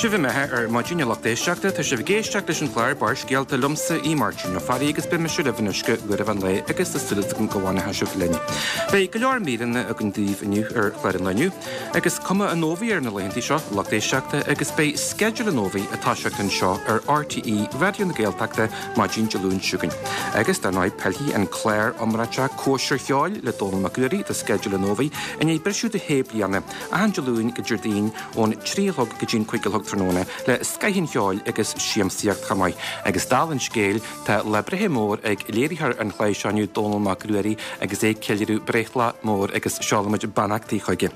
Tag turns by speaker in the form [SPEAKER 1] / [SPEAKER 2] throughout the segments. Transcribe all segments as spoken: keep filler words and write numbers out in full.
[SPEAKER 1] Sibh imithe ar maidin a lucht éisteachta, tá sibh ag éisteacht leis an chlár Barrscéalta liomsa í Máirtín Ó Fearraigh agus beidh mise libh anois go uair an lae agus tá súil agam go bhfanfaidh sibh linn. Beidh go leor míreanna againn daoibh inniu ar chlár an lae inniu, agus cuma an fhómhair ar na laethanta seo, lucht éisteachta, agus beidh sceideal an fhómhair ag toiseacht anseo ar RTÉ Raidió na Gaeltachta maidin Dé Luain seo chugainn. Agus dar ndóigh pillfidh an clár iomráiteach Cóisir Cheoil le Dónall Mac Ruairí do sceideal an fhómhair i ndiaidh briseadh de shé bliana, achan Dé Luain go Déardaoin ón trí a chlog go dtí an cúig a chlog tráthnóna le scoth an cheoil agus siamsaíocht chomh maith. Agus dála an scéil, tá lá breithe mór ag léiritheoir an chláir seo inniu, Dónall Mac Ruairí, agus é ag ceiliúradh breithlá mór agus seolaimid beannachtaí chuige.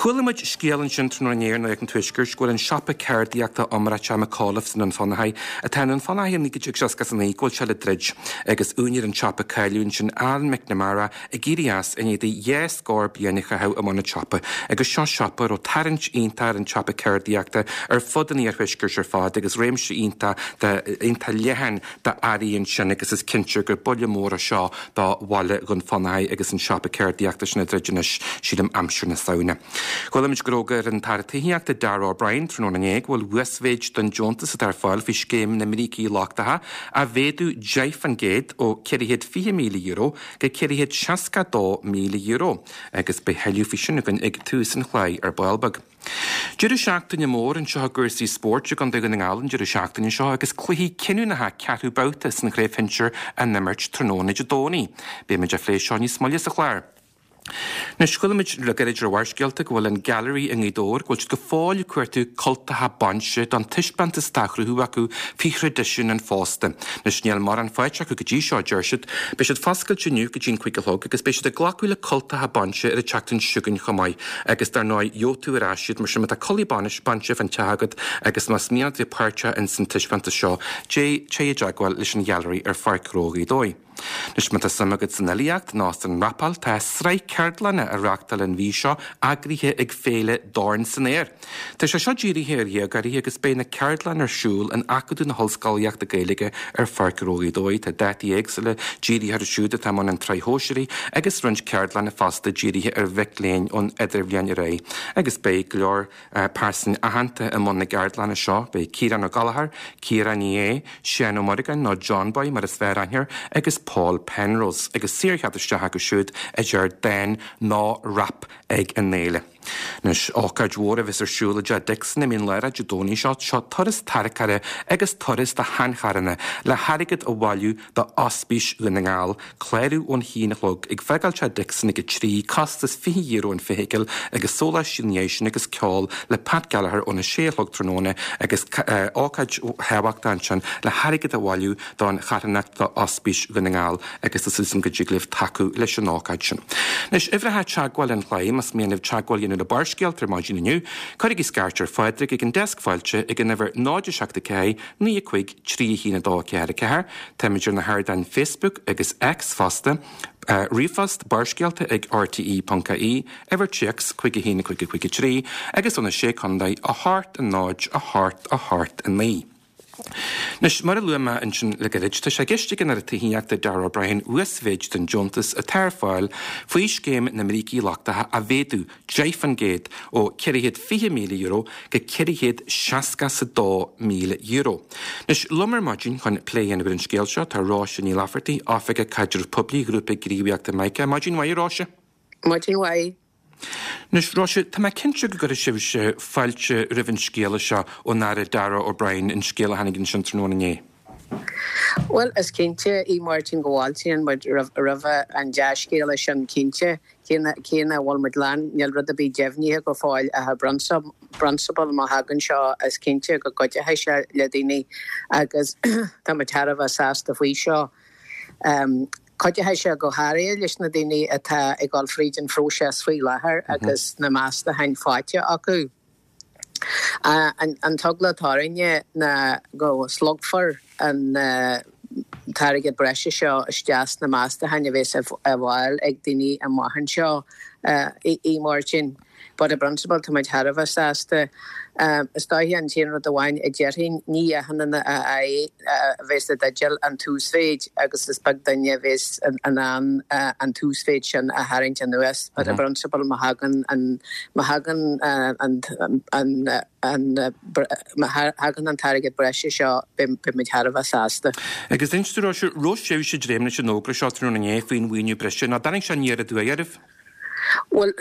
[SPEAKER 1] Chuala muid scéal ansin tráthnóna inné ar Nuacht an Tuaiscirt go bhfuil an siopa ceardaíochta iomráiteach McAuliffe's i nDún Fionnachaidh, atá i nDún Fionnachaidh ó naoi déag seasca a naoi, go bhfuil sé le druid agus úinéir an tsiopa cáiliúil ansin Alan McNamara ag éirí as i ndiaidh dó dhá scór bliain a chaitheamh i mbun an tsiopa agus seo siopa a raibh tarraingt iontach ar an tsiopa ceardaíochta ar fud an iarthuaiscirt ar fad agus réimse iontach iontach leathan d'earraí ansin agus is cinnte gur buille mór é seo do bhaile Dhún Fionnachaidh agus an siopa ceardaíochta sin ag druid anois sílim aimsir na Samhna. Chuala muid gur fhógair an tAire Tithíochta Darragh O'Brien tráthnóna inné go bhfuil uasmhéid don deontas atá ar fáil faoi scéim na mbrící lochtacha á mhéadú deich faoin gcéad ó ceithre chéad fiche míle euro go ceithre chéad seasca dó míle euro agus beidh tuilleadh faoi sin againn ag tús an chláir ar ball beag. Deireadh seachtaine mór anseo i gcúrsaí spóirt i gContae Dhún na nGall an deireadh seachtaine seo agus cluichí cinniúnacha ceathrú babhta san chraobh shinsir á n-imirt tráthnóna Dé Domhnaigh. Beidh muid ag plé seo níos moille sa chlár. Anois, chuala muid le gairid ar Bharrscéalta go bhfuil an Gallery i nGaoth Dobhair, go bhfuil siad go fóill ag cuartú cultacha bainse don taispeántas atá á chruthú acu faoi thraidisiún an phósta. Anois, níl mórán faighte acu go dtí seo, a deir siad. Beidh siad foscailte inniu go dtí an cúig a chlog agus beidh siad ag glacadh le cultacha bainse ar an tseachtain seo chugainn chomh maith. Agus dar ndóigh, gheobhaidh tú ar ais iad, mar sin má tá culaith bainse fán teach agat agus más mian leat bheith páirteach ins an taispeántas seo, téigh i dteagmháil leis an Ghallery ar Pháirc Ghnó Ghaoth Dobhair. Anois má tá suim agat san fhilíocht nó san rapáil, tá sraith ceardlanna á reáchtáil an mhí seo, eagraithe ag Féile Dorn san Aer. Tá sé seo dírithe ar dhéagóirí agus beidh na ceardlanna ar siúl in Acadamh na hOllscolaíochta Gaeilge ar Pháirc Ghnó Ghaoth Dobhair. Tá dátaí éagsúla dírithe orthu siúd atá i mbun an tsraith shóisearaigh agus roinnt ceardlanna fosta dírithe ar mhic léinn ón idirbhliain ar aghaidh. Agus beidh go leor pearsain aitheanta i mbun na gceardlanna seo. Beidh Ciarán Ó Gallchóir, Ciara Ní É, Seán Ó Muireagáin nó John Boy mar is fearr aithne air, agus Paul Penrose, agus saorchead isteach acu siúd a deir dán nó rap ag an fhéile. Anois, ócáid mhór a bheas ar siúl i dTeach Dixon i Mín Lárach Dé Domhnaigh seo, seo turas tarracóra agus turas do sheancharranna le hairgead a bhailiú do Ospís Dhún na nGall, clárú ón haon a chlog, ag fágáil Teach Dixon ag a trí, costas fiche euro an feithicil agus sóláistí ina dhiaidh sin agus ceol le Pat Gallagher óna sé a chlog tráthnóna agus ócáid thábhachtach ansin le hairgead a bhailiú don charthanacht do Ospís Dhún na nGall agus tá súil agam go dtig libh tacú leis an ócáid sin. Anois, uimhreacha teagmháil an chláir, más mian libh teagmháil a dhéanamh le Barrscéalta ar maidin inniu, cuirigí scairt ar Phádraig ag an deasc fáilte ag an uimhir náid a seacht a ceathair, naoi a cúig, trí a haon a dó a ceathair a ceathair. Táimid ar na hardáin Facebook agus X fosta. Ríomhphost, Barrscéalta ag rte ponc ie, uimhir téacs, cúig a haon a cúig a cúig a trí, agus do na Sé Contae, a hocht a náid a hocht a hocht a naoi. Anois, mar a luaigh mé ansin le gairid, tá sé i gceist ag an Aire Tithíochta Darragh O'Brien uasmhéid den deontas atá ar fáil faoi scéim na mbrící lochtacha a mhéadú deich faoin gcéad ó ceithre chéad fiche míle euro go ceithre chéad seasca is a dó míle euro. Anois, liom ar maidin chun plé a dhéanamh ar an scéal seo tá Róise Ní Laifeartaigh, Oifigeach Caidrimh Poiblí Ghrúpa Gníomhaíochta Mica. Maidin mhaith, a Róise.
[SPEAKER 2] Maidin mhaith.
[SPEAKER 1] Anois, Róise, tá mé cinnte go gcuirfidh sibhse fáilte roimh an scéala seo ón Aire Darragh O'Brien, an scéal a tháinig ansin tráthnóna inné.
[SPEAKER 2] Bhuel, is cinnte, a Mháirtín, go bhfáiltíonn muid roimh an dea-scéala sin, cinnte. Cé nach bhfuil muid lán, níl rud ar bith deimhnithe go fóill ach i bprionsabal má thagann seo is cinnte go gcuideoidh sé le daoine agus tá muid thar a bheith sásta faoi seo. Cuideoidh sé go háirithe leis na daoine atá ag dul fríd an phróiseas faoi láthair agus na meastacháin faighte acu. An t-eagla atá orainne ná go slogfar an t-airgead breise seo isteach sna meastacháin a bheas á bhfáil ag daoine amach anseo, a Mháirtín. But i bprionsabal tá muid thar a bheith sásta. Is dóiche an t-aon rud amháin a déarfainn, ní achan duine a bheas i dteideal an t-uasmhéid agus is beag duine a bheas in ann an t-uasmhéid sin a tharraingt anuas. But i bprionsabal má thagann an má thagann an an má thagann an t-airgead breise seo beidh muid thar a bheith sásta.
[SPEAKER 1] Agus inis dúinn, a Róise, raibh sibhse ag dréim leis an fhógra seo tráthnóna inné faoin mhaoiniú breise, nó an dtáinig sé aniar aduaidh oraibh?
[SPEAKER 2] Bhuel,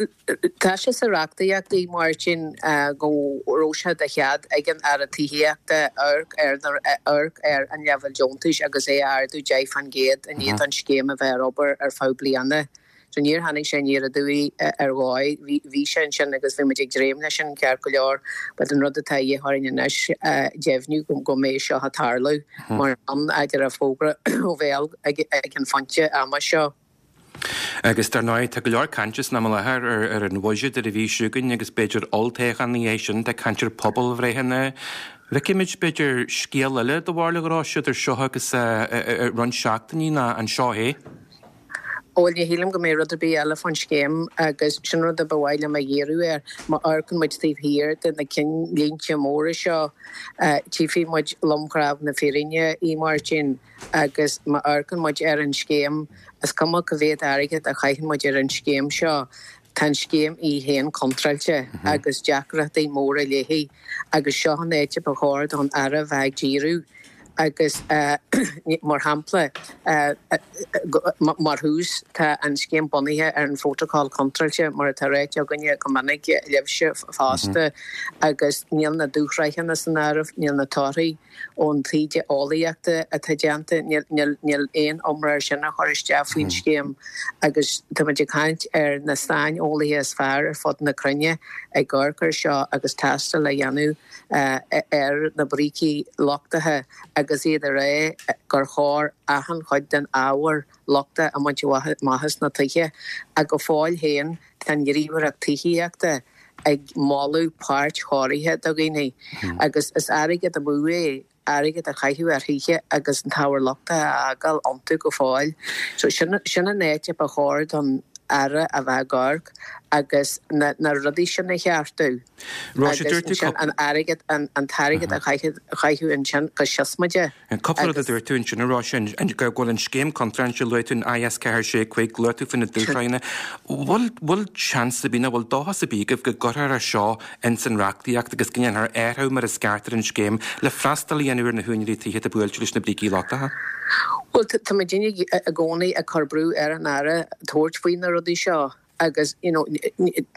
[SPEAKER 2] tá sé sa reachtaíocht, a Mháirtín, go raibh sé de chead ag an Aire Tithíochta amharc ar amharc ar an leibhéal deontais agus é a ardú deich faoin gcéad i ndiaidh don scéim a bheith ar obair ar feadh bliana. So níor tháinig sé aniar aduaidh ar dhóigh. Bhí bhí sé ansin agus bhí muid ag dréim leis sin ceart go leor, but an rud atá a dhíth orainn anois deimhniú go go mbeidh seo ag tarlú mar an idir a fógra ó bhéal ag ag an phointe ama seo.
[SPEAKER 1] Agus dar ndóigh, tá go leor cainte san am i láthair ar ar an bhuiséad ar an mhí seo chugainn agus b'fhéidir olltoghchán ina dhiaidh sin, tá caint ar pobalbhreitheanna. Feicfimid, b'fhéidir, scéal eile do bharúil, a Róise, idir seo agus roinnt seachtainí ná an seo é?
[SPEAKER 2] Bhuel, ní shílim go mbeidh rud ar bith eile fán scéim agus sin rud a ba mhaith liom a dhíriú air. Má amharcann muid taobh thiar de na cinnlínte móra seo, tchífidh muid lomchnámh na fírinne, a Mháirtín, agus má amharcann muid ar an scéim, is cuma cá mhéad airgead a chaitheann muid ar an scéim seo, tá an scéim í féin contráilte agus deacrachtaí móra léi agus seo an áit a ba chóir don Aire bheith ag díriú agus mar shampla, mar thús, tá an scéim bunaithe ar an phrótacal contráilte mar atá ráite againne go minic libhse fosta agus níl na dúshraitheanna san áireamh, níl na torthaí ón taighde eolaíochta atá déanta, níl aon iomrá air sin a chur isteach faoin scéim agus tá muid ag caint ar na saineolaithe is fearr ar fud na cruinne ag amharc air seo agus tástáil a dhéanamh ar na brící lochtacha agus iad ag rá gur chóir achan chuid den ábhar lochtach a bhaint amach as na tithe ach go fóill féin tá an Ghníomhaireacht Tithíochta ag moladh páirt-chóirithe do dhaoine agus is airgead amú é airgead a chaitheamh ar thithe agus an t-ábhar lochtach a fhágáil iontu go fóill. So sin sin an áit a ba chóir don Aire a bheith ag amharc agus na na rudaí sin a cheartú
[SPEAKER 1] Róise,
[SPEAKER 2] agus
[SPEAKER 1] dúirt tú
[SPEAKER 2] ansin an airgead an an t-airgead a chaitheamh chaitheamh ansin go siosmaideach.
[SPEAKER 1] Cúpla rud a
[SPEAKER 2] Agus
[SPEAKER 1] dúirt tú ansin, a Róise, an go bhfuil an scéim contráilte, luaigh tú an I S ceathair sé cúig, luaigh tú faoi na dúshraitheanna. Bhfuil bhfuil seans ar bith nó bhfuil dóchas ar bith agaibh go gcuirfear é seo ins an reachtaíocht agus go ndéanfar athrú mar is ceart ar an scéim le freastal a dhéanamh ar na húinéirí tithe atá buailte leis na brící lochtacha?
[SPEAKER 2] Bhuel, tá muid i gcónaí ag cur brú ar an Aire tabhairt faoi na rudaí seo agus you know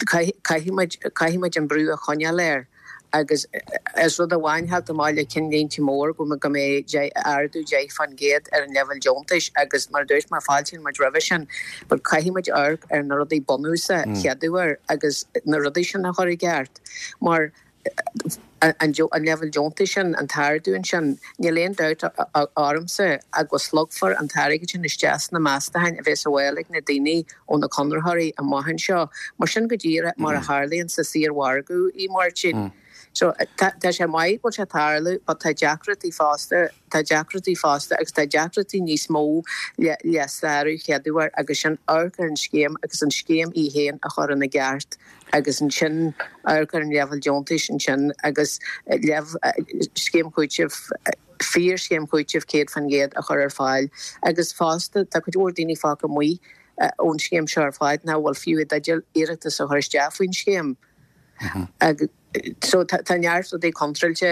[SPEAKER 2] caithfidh muid caithfidh muid an brú a choinneáil air agus is rud amháin theacht amach le cinnlínte mór go go mbeidh ardú deich faoin gcéad ar an leibhéal deontais agus mar a dúirt mé fáiltíonn muid roimhe sin but caithfidh muid amharc ar na rudaí bunúsacha chéaduair agus na rudaí sin a chur i gceart mar an an leibhéal deontais sin an t-ardú ansin níl aon dabht ormsa ach go slogfar an t-airgead sin isteach sna meastacháin a bheas á bhfáil ag na daoine ó na conraitheoirí amach anseo mar sin go díreach mar a tharlaíonn sa saormhargadh, a Mháirtín. So tá sé maith go bhfuil sé ag tarlú but tá deacrachtaí fosta tá deacrachtaí fosta agus tá deacrachtaí níos mó le le sárú chéaduair agus sin amharc ar an scéim agus an scéim í féin a chur ina gceart agus ansin amharc ar an leibhéal deontais ansin agus leibh scéim chúitimh fíor scéim chúitimh céad faoin gcéad a chur ar fáil agus fosta tá cuid mhór daoine fágtha amuigh ón scéim seo ar fad nach bhfuil fiú i dteideal iarratas a chur isteach faoin scéim. Agus so tá neart rudaí contráilte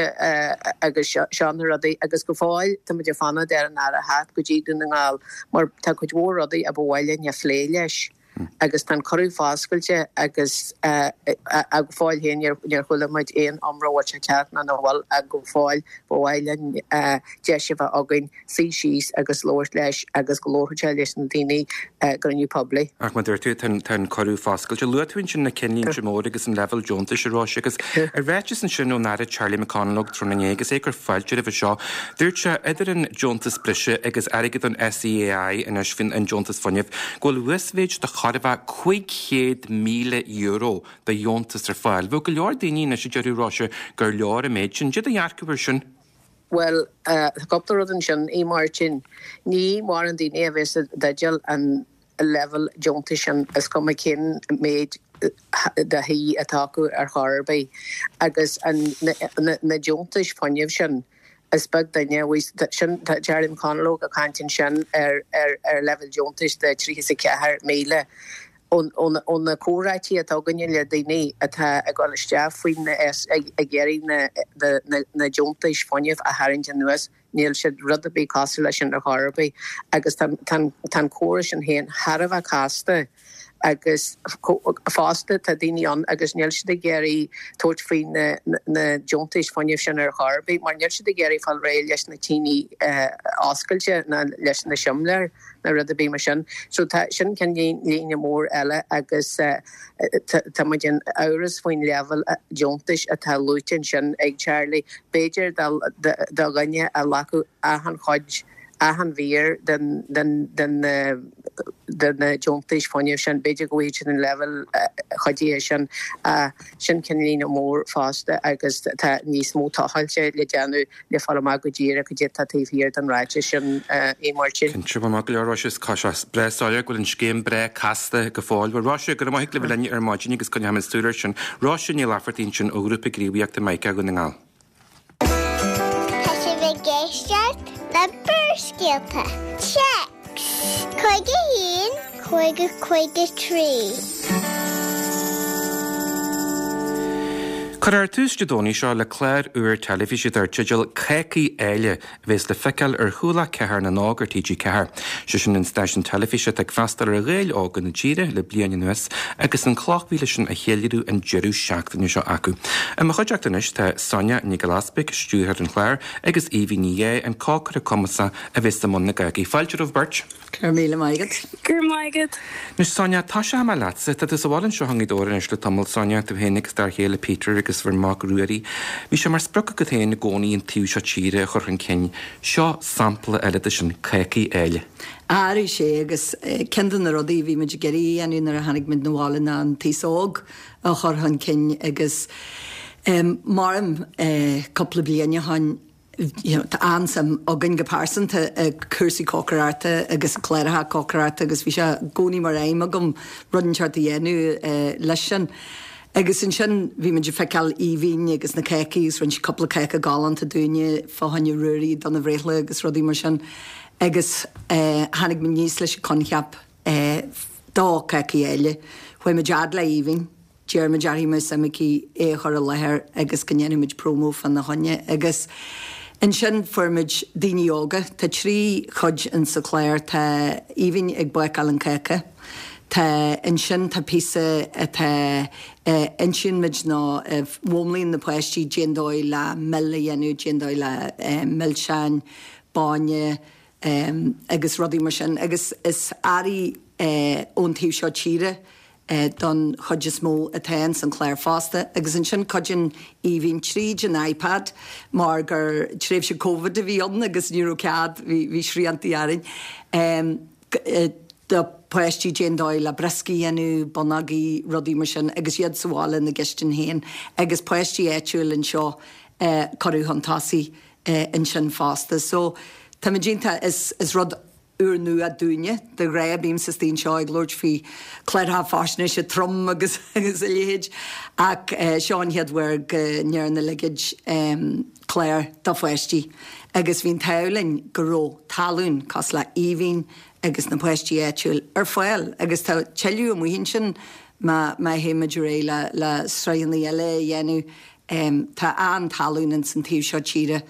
[SPEAKER 2] agus seo na rudaí agus go fóill tá muid ag fanacht ar an Aire theacht go dtí Dún na nGall mar tá cuid mhór rudaí a ba mhaith linn a phlé leis agus tá an cuireadh foscailte agus go fóill féin níor chuala muid aon iomrá bhfuil sé teacht nó nach bhfuil ach go fóill ba mhaith linn deis a bheith againn suí síos agus labhairt leis agus go labharfadh sé leis na daoine i gcruinniú poiblí.
[SPEAKER 1] Ach mar dúirt tú tá an cuireadh foscailte. Luaigh tú ansin na cinnlínte móra agus an leibhéal deontais, a Róise, agus i ráiteas ansin ón Aire Charlie McConalogue tráthnóna inné agus é ag cur fáilte roimhe seo, dúirt sé idir an deontas breise agus airgead an S E A I anois faoin an deontas fuinnimh go bhfuil uasmhéid de chóir a bheith cúig chéad míle euro de dheontas ar fáil. Bheadh go leor daoine anois a déarfadh, a Róise, gur leor an méid sin. Cad é do dhearcadh air sin?
[SPEAKER 2] Bhuel, tá cúpla rud ansin, a Mháirtín. Ní mórán daoine a bheas i dteideal an leibhéal deontais sin, is cuma cén méid de thí atá acu ar chor ar bith agus na deontais fuinnimh sin is beag duine sin tá Charlie McConalogue ag caint ansin ar ar leibhéal deontais de tríocha is a ceathair míle ó na comhráití atá againne le daoine atá ag dul isteach faoin ag iarraidh na deontais fuinnimh a tharraingt anuas níl siad rud ar bith cosúil leis sin ar chor ar bith agus tá an córas sin féin thar a bheith casta agus fosta tá daoine ann agus níl siad ag iarraidh tabhairt faoi na deontais fuinnimh sin ar chor ar bith mar níl siad ag iarraidh fáil réidh leis na tine oscailte ná leis na simléir ná rud ar bith mar sin. So tá sin ceannlíne mór eile agus tá muid in amhras faoin leibhéal deontais atá luaite ansin ag Charlie. B'fhéidir do dhuine a ghlacfadh achan chuid achan mhír den den den de na deontais fuinnimh sin, b'fhéidir go bhfaighidh siad an leibhéal chuidithe sin. Sin ceannlíne mór fosta agus tá níos mó tochailte le déanamh le fáil amach go díreach cad é atá taobh thiar den ráiteas sin, a Mháirtín.
[SPEAKER 1] Cinnte, bhuel maith go leor Róise, tá sé breá soiléir go bhfuil an scéim breá casta go fóill. Bhuel Róise, go raibh maith agat le bheith linn ar maidin agus coinneoimid súil air sin. Róise Ní Laifeartaigh ansin ó Ghrúpa Gníomhaíochta Mica Dhún na nGall.
[SPEAKER 3] Tá sibh ag éisteacht le Barrscéalta. Téacs cúig a haon, cúig a cúig a trí.
[SPEAKER 1] Cuirfear tús Dé Domhnaigh seo le clár úr teilifíse dar teideal Cácaí Áille a bheas le feiceáil ar Chuallacht Ceathair na nÓg ar T G ceathair. Sé sin an stáisiún teilifíse atá ag freastal ar Ghaeil óga na tíre le bliain anuas agus an chloch mhíle sin á cheiliúradh an deireadh seachtaine seo acu. I mo chuideachta anois tá Sonia Nic Giolla Easpaig, stiúrthóir an chláir, agus Aoibhinn Ní Dhé, an cócaire cumasach a bheas i mbun na gcácaí. Fáilte romhaibh beirt.
[SPEAKER 4] Go raibh míle maith agat.
[SPEAKER 5] Go raibh maith agat.
[SPEAKER 1] Anois Sonia, tosóidh mé leatsa. Tá tú sa bhaile anseo i nGaoth Dobhair anois le tamall, Sonia, tú féin agus d'fhear chéile Peter agus bhur mac Ruairí. Bhí sé mar sprioc agat féin i gcónaí an taobh seo tíre a chur chun cinn. Seo sampla eile de sin, Cácaí Áille.
[SPEAKER 4] Arís é agus ceann de na rudaí a bhí muid ag iarraidh a dhéanamh nuair a tháinig muid 'na bhaile ná an t-aos óg a chur chun cinn agus maram cúpla bliain ó shin you know, tá an-suim againn go pearsanta i cúrsaí cócaireachta agus cláracha cócaireachta agus bhí sé i gcónaí mar aidhm agam rud inteacht a dhéanamh leis sin. Agus ansin bhí muid ag feiceáil Aoibhinn agus na cácaí agus rinne sí cúpla cáca galánta dúinne fá choinne Ruairí dona bhreithlá agus rudaí mar sin. Agus tháinig muid aníos leis an coincheap do Cácaí Áille. Chuaigh muid fhad le Aoibhinn. D'iarr muid uirthi más suim aici é a chur i láthair agus go ndéanfadh muid promo fána choinne. Agus ansin fuair muid daoine óga. Tá trí chuid in sa chlár. Tá Aoibhinn ag bácáil an cáca. Tá ansin tá píosa atá insíonn muid nó mhúnlaíonn na páistí cén dóigh le mil a dhéanamh, cén dóigh le milseáin, bainne agus rudaí mar sin. Agus is earraí ón taobh seo tíre don chuid is mó atá ins an chlár fosta. Agus ansin cuidíonn Aoibhinn tríd an iPad mar gur tréimhse Covid a bhí ann agus ní raibh cead, bhí sriantaí orainn, do pháistí cén dóigh le brioscaí a dhéanamh, bonnógaí, rudaí mar sin agus iad sa bhaile ina gcistin féin agus páistí áitiúil anseo cuireadh chun tosaigh ansin fosta. So táimid iontach, is is rud úrnua dúinne, de ghnáth bímse istigh anseo ag labhairt faoi chláracha faisnéise trom agus agus a leithéid ach seo an chéad uair go ndearna a leithéid clár do pháistí agus bhí an t-ádh linn go raibh tallann cosúil le Aoibhinn agus na páistí áitiúil ar fáil agus tá tuilleadh amuigh ansin má má théimid ar aghaidh le le sraitheanna eile a dhéanamh. Tá an-tallann ins an taobh seo tíre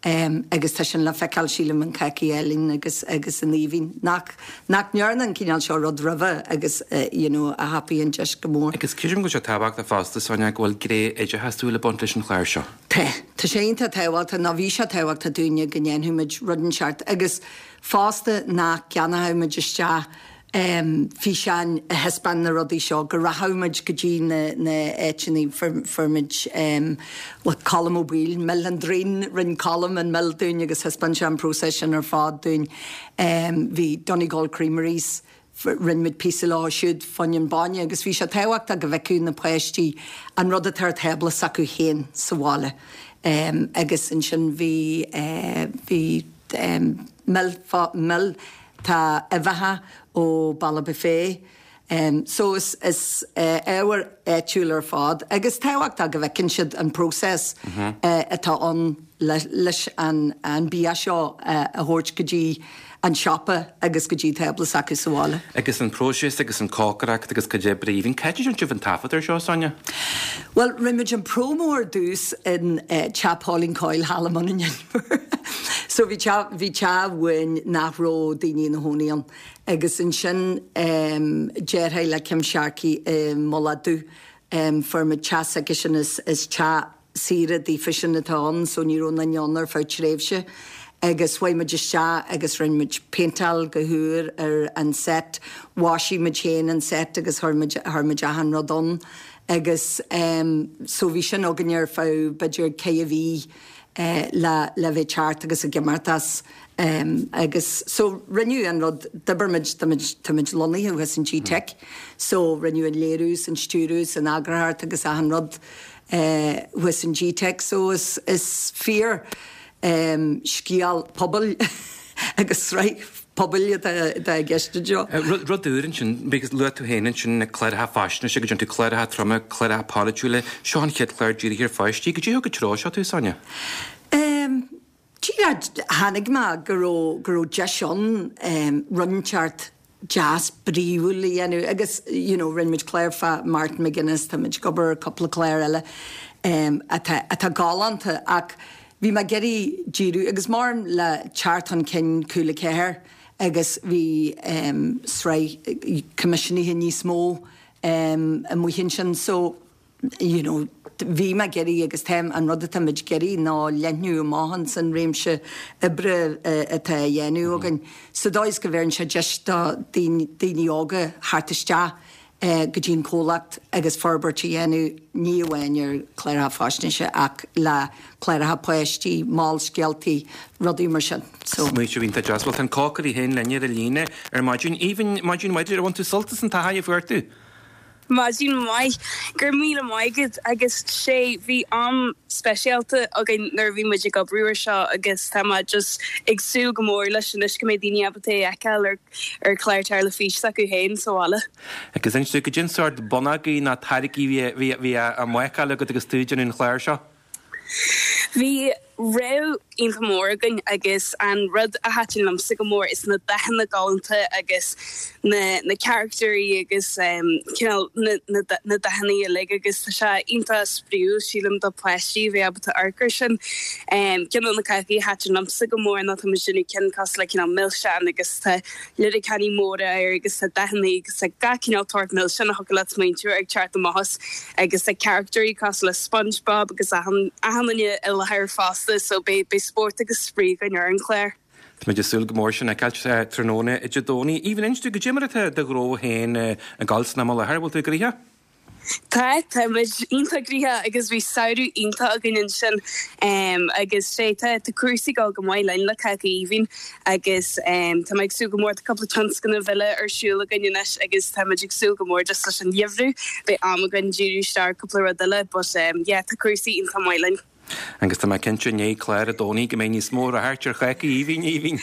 [SPEAKER 4] agus tá sin le feiceáil sílim in Cácaí Áille agus agus in Aoibhinn nach nach ndearna an cineál seo rud roimhe agus you know a thapaigh an deis go mór.
[SPEAKER 1] Agus creidim go bhfuil sé tábhachtach fosta, Sonia, go bhfuil gné oideachasúil ag baint leis an chlár seo.
[SPEAKER 4] Tá. Tá sé iontach tábhachtach nó bhí sé tábhachtach dúinne go ndéanfadh muid rud inteacht agus fosta nach gceannódh muid isteach físeáin a thaispeáin na rudaí seo, go rachadh muid go dtí na na áiteanna, fuair muid le Colm Ó Baoill, Mil an Droim, rinne Colm an mil dúinn agus thaispeáin sé an próiseas sin ar fad dúinn. Bhí Donegal Creameries, rinne muid píosa leo siúd fá choinne an bainne agus bhí sé tábhachtach go bhfeicfeadh na páistí an rud atá ar tábla s'acu féin sa bhaile. Agus ansin bhí bhí mil mil tá uibheacha ó Balla Buffet, Um, so is, is uh, ábhar áitiúil ar fad, agus tábhachtach go bhfeiceann siad an próiseas mm -hmm. uh, atá ann leis an, an bia seo uh, a thabhairt go dtí an siopa agus go dtí tábla s'acu sa bhaile.
[SPEAKER 1] Agus an próiseas agus an cócaireacht agus cuid oibre. Aoibhinn, cá háit a ndearna sibh an taifead ar seo, Sonia?
[SPEAKER 4] Well, rinne muid an promo ar dtús in uh, Teach Pauline Coyle thall i mBun an Inbhir. So bhí bhí teach amháin nach raibh daoine ina gcónaí ann. Agus ansin um, deartháir le Kim Sharkey i Mullach Dubh um, fuair muid teach agus sin is, is teach saoire daofa sin atá ann, so ní raibh aon duine ann ar feadh tréimhse. Agus chuaigh muid isteach agus rinne muid péinteáil go húr ar an set, mhaisigh muid féin an set agus chuir muid chuir muid achan rud ann. Agus um, so bhí sin againn ar feadh b'fhéidir ceithre mhí uh, le, le bheith ceart agus ag imeacht as. Um, agus so rinneadh an rud d'oibrigh muid tá muid lonnaithe thuas in G-Tech, so rinneadh an léiriú an stiúradh an eagarthóireacht agus achan rud uh, thuas in G-Tech, so is, is fíor um, scéal pobail agus sraith pobail atá i gceist anseo.
[SPEAKER 1] Rud úr ansin, because luaigh tú féin ansin na cláracha faisnéise go dtéann tú cláracha troma, cláracha polaitiúla, seo an chéad chlár dírithe ar pháistí, goidé thug an treo seo tú, Sonia?
[SPEAKER 4] Um, Tháinig mé go raibh go raibh deis ann um, rud inteacht deas bríomhar a dhéanamh agus you know, rinne muid clár fá Martin McGuinness, tá muid ag obair cúpla clár eile um, atá, atá galánta ach bhí mé ag iarraidh díriú agus mar le teacht chun cinn Cúla Ceathair agus bhí um, sraith coimisiúnaithe níos mó um, amuigh ansin so you know, bhí mé ag iarraidh agus táim an rud atá muid ag iarraidh ná leathnú amach san réimse oibre atá á dhéanamh againn. Sa dóigh is go bhfeiceann sé deis do daoine óga theacht isteach go dtí an comhlacht agus forbairt a dhéanamh ní amháin ar chláracha faisnéise ach le cláracha páistí, molscéaltaí, rudaí mar sin.
[SPEAKER 1] So. Smaoineamh iontach deas, well tá an cócaire féin linn ar an líne ar maidin. Aoibhinn maidin mhaith, ar bhain tú sult as an taithí a fuair tú?
[SPEAKER 5] Maidin mhaith go raibh míle maith agat agus sé bhí am speisialta againn nuair a bhí muid ag obair air seo agus tá mé just ag súil go mór leis anois go mbeidh daoine ábalta é a fheiceáil ar ar chlár teilifíse s'acu féin sa bhaile.
[SPEAKER 1] Agus inis dúinn goidé an sórt bonnaí ná táirgí bhí bhí á mbácáil agat agus tú ag déanamh an chláir seo?
[SPEAKER 5] Bhí rogha iontach mór againn agus an rud a thaitin liomsa go mór is na dathanna galánta agus na na caractéirí agus um, cineál na, na, na dathanna uilig agus tá sé iontach spraíúil sílim do pháistí bheith ábalta amharc air sin. Um, ceann de na cácaí a thaitin liomsa go mór ná tá sin cinn cosúil le cineál milseán agus tá liricaní móra air agus tá dathanna agus tá gach cineál tort milseán a thiocfadh leat smaointiú ag teacht amach as agus tá caractéirí cosúil le SpongeBob agus achan duine i láthair fosta so beidh beidh spórt agus spraoi againn ar an chlár.
[SPEAKER 1] Tá muid ag súil go mór sin a fheiceáil tráthnóna Dé Domhnaigh. Aoibhinn inis dúinn goidé mar atá do ghnó féin ag gabháil san am i láthair, bhfuil tú gnoitheach?
[SPEAKER 5] Tá tá muid iontach gnoitheach agus bhí samhradh iontach againn ansin um, agus sé tá tá cúrsaí ag dul go maith linn le Cáca Aoibhinn agus um, tá ag súil go mór tá cúpla tionscnamh eile ar siúl againn anois agus tá muid ag súil go mór just leis an gheimhreadh beidh am againn díriú isteach cúpla rud eile, but um, yeah, tá cúrsaí iontach maith linn.
[SPEAKER 1] Agus tá mé cinnte i ndiaidh clár Dé Domhnaigh go mbeidh níos mó ráchairt ar Cháca Aoibhinn Aoibhinn.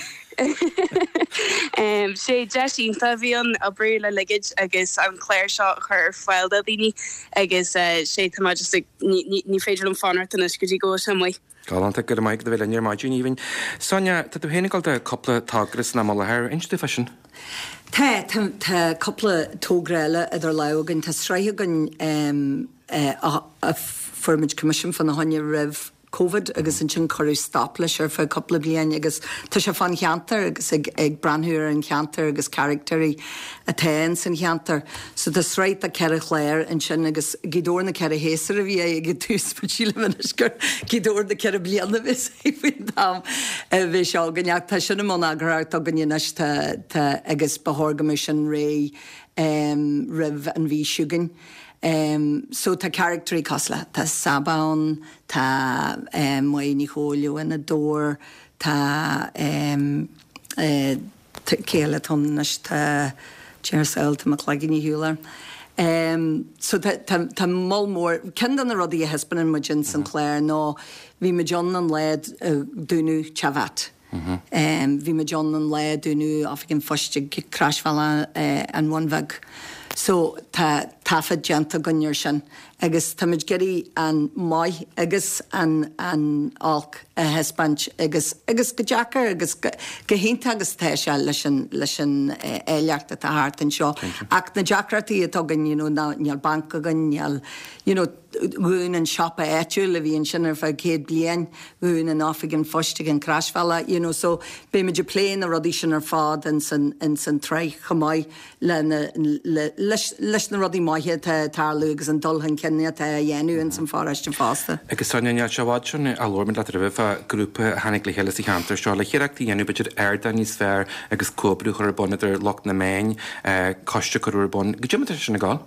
[SPEAKER 5] Um, sé deis iontach a bhí ann obair le Ligid agus an clár seo a chur ar fáil do dhaoine agus uh, sé tá just ag- ní ní- ní féidir liom fanacht anois go dtí go bhfuil sé amuigh.
[SPEAKER 1] Galánta go maith do bheith linn ar maidin Aoibhinn. Sonia, tá tú féin ag dul do cúpla togra san am i láthair, inis dúinn fá sin.
[SPEAKER 4] Tá tá tá cúpla togra eile idir lámha againn tá sraith againn um, uh, a, a fuair muid coimisiún fána choinne roimh COVID agus ansin cuireadh stop leis ar feadh cúpla bliain agus tá sé fán cheantar agus ag, ag breathnú ar an cheantar agus caractéirí atá in san cheantar. So tá sraith de ceithre chlár ansin agus Gaoth Dobhair na ceithre shéasúr a bhí ag tús sílim anois gur Gaoth Dobhair na ceithre bliana faoin am a bhí seo againn ach tá sin i mbun eagarthóireacht againn anois tá, tá, agus ba chóir go mbeadh sin réidh um, roimh an mhí seo chugainn. Um, so tá caractéirí cosúil le tá Saba ann, tá um, Maí Ní Chóilú ina dóir, tá um, uh, céile anois tá Jersel tá McLagan Hewler. Um, so tá, tá, tá moll mór ceann de na rudaí a thaispeánann muid in san chlár ná bhí muid ann an lá uh, dúnadh Teach Bhat. Um, bhí muid ann an lá dúnadh oifig an phoist ag Croisbhealach uh, an Bhun Bheag. So tá taifead déanta againn air sin agus táimid ag iarraidh an maith agus an an olc a thaispeáint agus agus go deacair agus go go hiontach agus tá sé leis an leis an áilleacht atá thart anseo. Ach na deacrachtaí atá againn you know, ná níl banc againn, níl you know, dhún an siopa áitiúil a bhí ansin ar feadh céad bliain, dhún an oifig an phoist ag an Croisbhealach, you know, so beimid ag plé na rudaí sin ar fad in san in san tsraith chomh maith le na le leis leis na rudaí maithe atá ag tarlú agus an dul chun cinn atá á dhéanamh in san pharóiste fosta.
[SPEAKER 1] Agus Sonia, níl sé i bhfad sin a labhair muid leat roimhe fá grúpa a tháinig le chéile sa cheantar seo le hiarracht a dhéanamh b'fhéidir ardán níos fearr agus comhoibriú a chur ar bun idir lucht na meáin, coiste a chur ar bun. Goidé mar tá sé sin ag gabháil?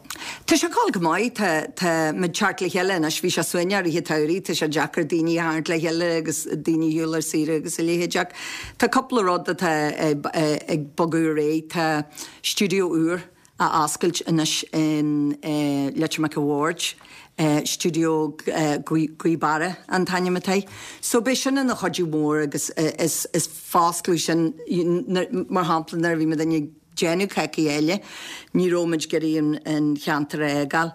[SPEAKER 4] Tá sé ag gabháil go maith. Tá tá muid teacht le chéile anois. Bhí sé suaimhneach i rith an tsamhraidh. Tá sé deacair daoine a tharraingt le chéile agus daoine a shiúl ar saoire agus a leithéid ach tá cúpla rud atá ag bogadh ar aghaidh. Tá stiúideo úr á oscailt anois in Leitir Mhic a' Bhaird, Stiúideo Gaoth Beara an t-ainm atá air. So beidh sin ina chuidiú mór agus is is foscladh sin mar shampla nuair a bhí muid ag déanamh Cácaí Eile ní raibh muid ag iarraidh an cheantar a fhágáil.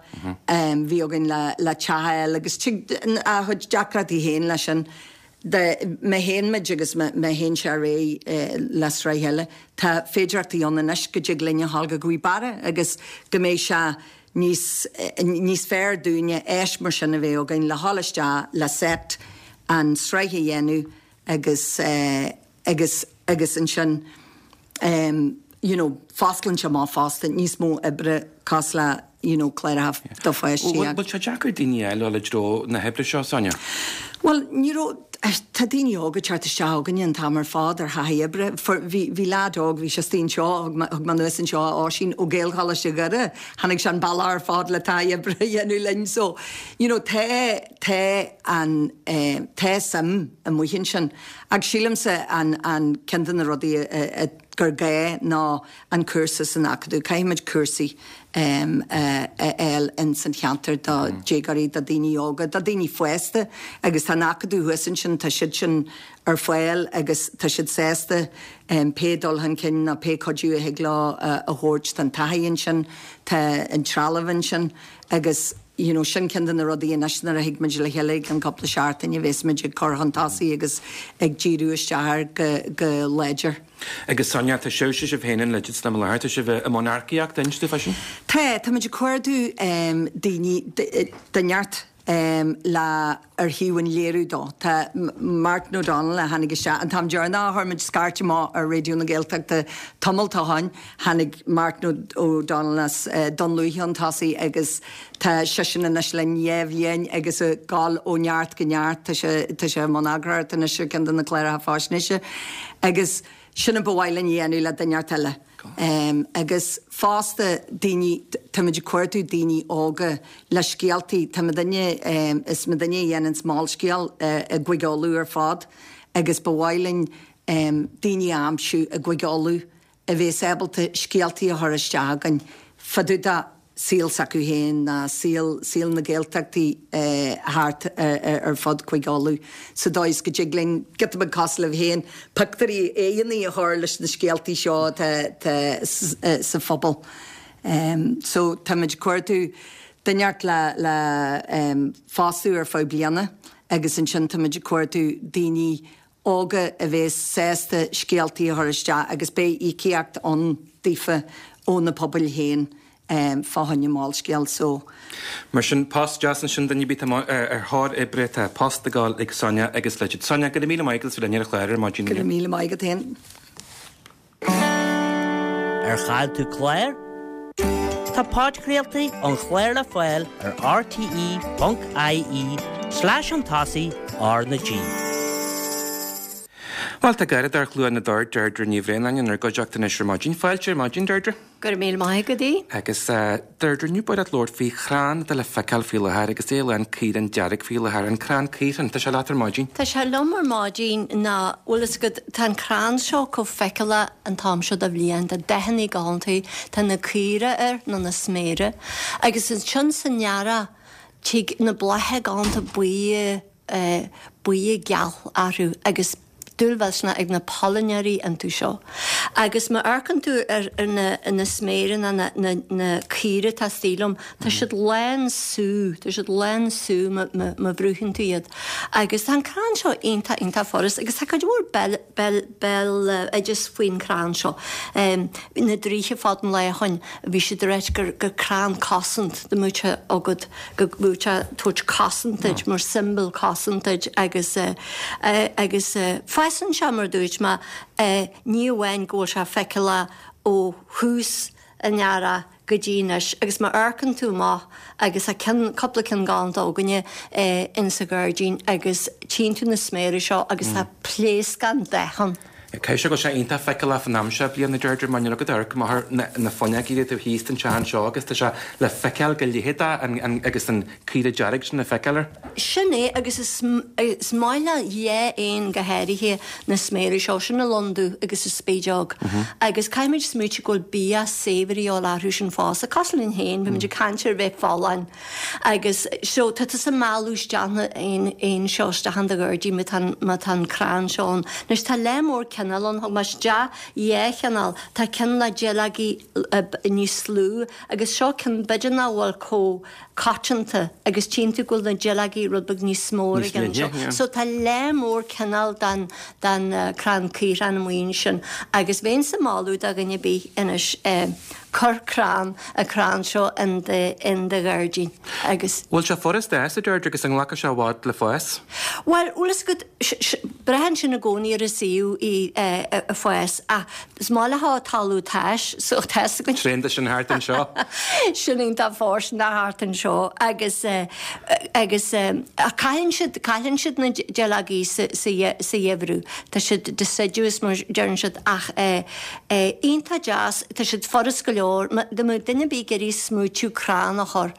[SPEAKER 4] Bhí againn le le teach a fháil agus tig a chuid deacrachtaí féin leis sin. Dá má théann muid agus má théann sé ar aghaidh le sraith eile, tá féidearthachtaí ann anois go dtig linn a ghabháil go Gaoth Beara agus go mbeidh sé níos níos fearr dúinne áis mar sin a bheith againn le dhul isteach le set an sraith a dhéanamh agus agus agus ansin you know fosclaíonn sé amach fosta níos mó oibre cosúil le you know cláracha do pháistí
[SPEAKER 1] agus. Bhfuil sé deacair daoine a fháil i dtreo na hoibre seo, Sonia?
[SPEAKER 4] Bhuel, ní raibh, tá daoine óga ag teacht isteach chugainne an t-am ar fad ar thaithí oibre. Bhí, bhí leaid óg, bhí sé istigh anseo, thug mé, thug mé anuas anseo Oisín ó Gaelcholáiste Dhoire, tháinig sé an bealach ar fad le taithí oibre a dhéanamh linn. So, you know, tá, tá an, eh, tá suim amuigh ansin. Ach sílimse an, an ceann de na rudaí a, a, gur gá ná an cúrsa san Acadamh. Caithfimid cúrsaí a fháil ins an cheantar do déagóirí, do daoine óga, do daoine fásta agus tá an Acadamh thuas ansin, tá siad sin ar fáil agus tá siad sásta pé dul chun cinn nó pé cuidiú a thig leo a thabhairt. Tá an taithí ansin, tá an trealamh ansin agus you know sin ceann de na rudaí anois nuair a thig muid le chéile ag an cúpla seachtain a bheas muid ag cur chun tosaigh agus ag díriú isteach air go go láidir.
[SPEAKER 1] Agus Sonia, tá sibhse sibh féin in Lidget sna láthair, tá sibh i mbun earcaíochta, inis dúinn fá sin?
[SPEAKER 4] Tá, tá muid ag cuardú um, daoine de neart um, le ar thaobh an léiriú dó. Tá Martin O'Donnell a tháinig isteach an t-am deireanach a chuir muid scairt amach ar Raidió na Gaeltachta tamall ó shin, tháinig Martin O'Donnell as Dún Lúiche chun tosaigh agus tá seisean anois linn dhá bhliain agus ag gabháil ó neart go neart. Tá sé tá sé i mbun eagarthóireachta anois ar ceann de na cláracha faisnéise agus sin a ba mhaith linn a dhéanamh le duine inteacht eile. Um, agus fosta daoine, táimid ag cuardú daoine óga le scéaltaí, tá muidinne, um, is muidinne a dhéanann Molscéal uh, i gCúige Uladh ar fad agus ba mhaith linn um, daoine a aimsiú i gCúige Uladh a bheas ábalta scéaltaí a chur isteach againn fá dtaobh de saol s'acu féin ná saol, saol na Gaeltachtaí thart ar fud Chúige Uladh sa dóigh is go dtig linn, giota beag cosúil libh féin, pictiúirí, aghaidheanna a chur leis na scéaltaí seo atá sa phobal. So táimid ag cuardú duine inteacht le, le fostú ar feadh bliana agus ansin táimid ag cuardú daoine óga a bheas sásta scéaltaí a chur isteach agus beidh íocaíocht ann daofa ó na pobail féin fá choinne Molscéal so.
[SPEAKER 1] Mar sin, post deas ansin duine ar bith atá ar thóir oibre, tá post ag gabháil ag Sonia agus Lidget. Sonia, go raibh míle maith agat as bheith linn ar an chlár ar maidin
[SPEAKER 4] Go raibh míle maith agat féin.
[SPEAKER 6] Ar chaill tú clár? Tá podchraoltaí an chláir le fáil ar rte.ie slash chun tosaigh R na G.
[SPEAKER 1] Bhuel, tá Garradóir Chluain na dTor, Deirdre Ní Bhraonáin, inár gcuideachta anois ar maidin. Fáilte ar maidin, Deirdre.
[SPEAKER 7] Go raibh míle maith agat, Aodh.
[SPEAKER 1] Agus Deirdre, inniu ba mhaith leat labhairt faoi chrann atá le feiceáil faoi láthair agus é lán caorán dearg faoi láthair, an crann caorthainn. Tá sé leat ar maidin?
[SPEAKER 7] Tá sé liom ar maidin ná, bhfuil fhios agat, tá an crann seo chomh feiceálach an t-am seo de bhliain, tá dathanna galánta, tá na caora air nó na sméara, agus ansin san earrach tig na blátha galánta buí, buí geal orthu agus dúil mhillteanach ag na pailneoirí iontu seo. Agus má amharcann tú ar ar na na sméireanna na na na caora atá istigh liom, tá siad lán sú, tá siad lán sú má má má bhrúicheann tú iad. Agus tá an crann seo iontach iontach furast agus tá cuid mhór béal béal béaloideas faoin crann seo. Na draoithe fad an lae ó shoin, bhí siad ag ráit gur gur crann cosaint dá mbeadh sé agat, go mbeadh sé ag tabhairt cosaint duit mar symbol cosaint duit agus agus fásann sé mar dúirt mé ní amháin go bhfuil sé feiceálach ó thús an earraigh go dtí anois agus má amharcann tú amach agus tá ceann, cúpla ceann galánta againne in sa ghairdín agus tchíonn tú na sméara seo agus tá pléascán dath ann.
[SPEAKER 1] Caithfidh sé go bhfuil sé iontach feiceálach fan am seo bliana Deirdre mar níl agat amharc amach ar na fuinneogaí taobh thíos den teach anseo agus tá sé le feiceáil go leitheadach agus an caora dearg sin le feiceáil air.
[SPEAKER 7] Sin é agus is is maith le dhá éan go háirithe na sméara seo, sin an lon dubh agus an spideog. Agus caithfimid smaoitiú go bhfuil bia saibhir a dhíobháil orthu sin fosta, cosúil linn féin, bímid ag caint ar bheith folláin agus so tá tusa ag mealladh isteach na éin seo isteach in do ghairdín má tá má tá an crann seo ann. Anois tá lear mór cineál ann, thug mé isteach dhá chineál, tá ceann le duilleogaí níos lú agus seo ceann b'fhéidir nach bhfuil chomh coitianta agus tchíonn tú go bhfuil na duilleogaí rud beag níos mó ar an gceann seo. So tá lear mór cineál den den crann caorthainn amuigh ansin agus bheinnse ag moladh do dhuine ar bith anois cuir crann an crann seo in do in do ghairdín agus.
[SPEAKER 1] Bhfuil sé furast a fhás, a Deirdre, agus an nglacfaidh sé i bhfad le fás?
[SPEAKER 7] Bhuel, bhfuil fhios agat, braitheann sin i gcónaí ar an suíomh í ag fás ach is maith leo talamh tais so tá fhios againn.
[SPEAKER 1] Tréan de sin thart anseo.
[SPEAKER 7] Sin iontach fóirsteanach thart anseo agus agus ach cailleann siad cailleann siad na duilleogaí sa sa sa gheimhreadh. Tá siad deciduous mar deireann siad ach iontach deas, tá siad furast go leor. Dá mbeadh duine ar bith ag iarraidh smaoitiú crann a chur,